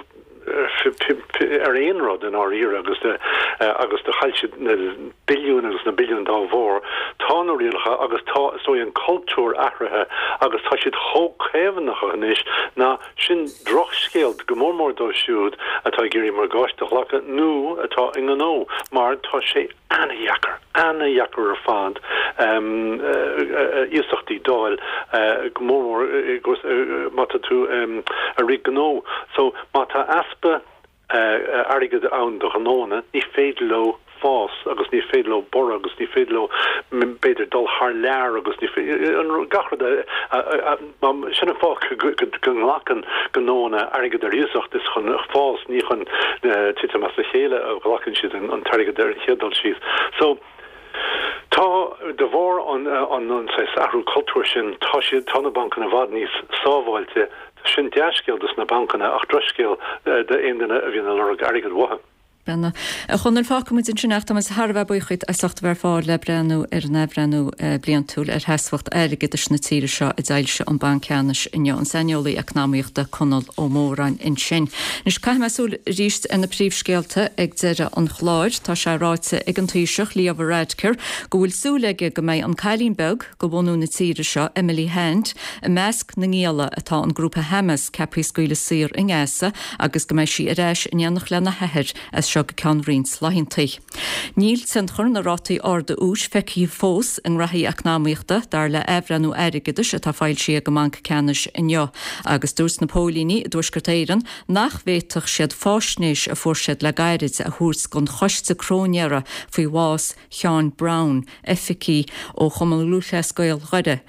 ar aon rud i ndáiríre agus agus do chaill siad na billiúin agus na billiúin dá bharr. Tá na rialacha agus tá is dóigh an cultúr athraithe agus tá siad chomh caomhnaitheach anois ná Sin drochscéal, go mór mór dóibh siúd atá ag iarraidh morgáiste a ghlacadh nó atá i ngnó, mar tá sé ana-dheacair, ana-dheacair ar fad iasachtaí d'fháil, go mór mór má tá tú ag rith gnó. So, má tá easpa airgid ann do ghnóanna, ní féidir leo fás agus ní féidir leo borradh agus ní féidir leo b'fhéidir dul thar lear agus ní féidir gach rud a sin an fáth go nglacann gnóanna airgead ar iasacht is chun fás ní chun titim as a chéile a ghlacann siad an t-airgead ar an chéad dul síos. So tá de bharr an an saghas athrú cultúir sin tá siad tá na bancanna i bhfad níos sábháilte sin dea-scéal dos na bancanna ach drochscéal d'aon duine a bhíonn ag lorg airgead uathu. Brenna. A Chonaill, fágfaidh muid ansin ach tá muid thar a bheith buíoch díot as ucht a bheith ar fáil le breathnú ar an athbhreithniú bliantúil ar sheasmhacht airgeadais na tíre seo a d'fhoilsigh an Banc Ceannais inniu. An saineolaí eacnamaíochta Conall Ó Móráin ansin. Anois caithfidh mé súil arís ar na príomhscéalta ag deireadh an chláir. Tá sé ráite ag an Taoiseach, Leo Varadkar, go bhfuil súil aige go mbeidh an cailín beag de bhunú na tíre seo, Emily Hand, i measc na ngialla atá an grúpa Hamas ceaptha a scaoileadh saor i nGaza agus go mbeidh sí ar ais in éineacht lena hathair as seo go ceann roinnt laethanta. Níl tionchar na rátaí arda úis feicthe fós i ngraithí eacnamaíochta, dar le athbhreithniú airgeadais atá foilsithe ag an mBanc Ceannais inniu, agus dúirt na póilíní i dTuaisceart Éireann nach bhféadfadh siad faisnéis a fuair siad le gairid a thabhairt don choiste cróinéara faoi bhás Sheáin Brown, oifigigh ó Chumann Lúthchleas Gael Dhoire.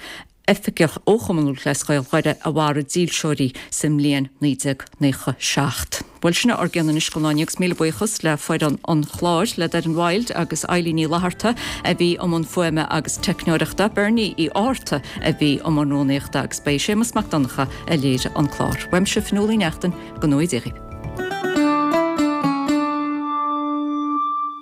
oifigeach ó Chumann Lúthchleas Gael Dhoire a mharaigh dílseoirí sa mbliain naoi déag naocha seacht. Bhuel, sin é ár gcion anois don lá inniu agus míle buíochas le foireann an chláir, le Doireann Wild agus Eilín Ní Fhlatharta a bhí i mbun fuaime agus teicneoireachta, Bernie Uí Fhátharta a bhí i mbun rúnaíochta agus ba é Séamus Mac Donncha a léirigh an clár. Uaimse Fionnuala Uí Neachtain, go ngnóthaí Dia dhaoibh.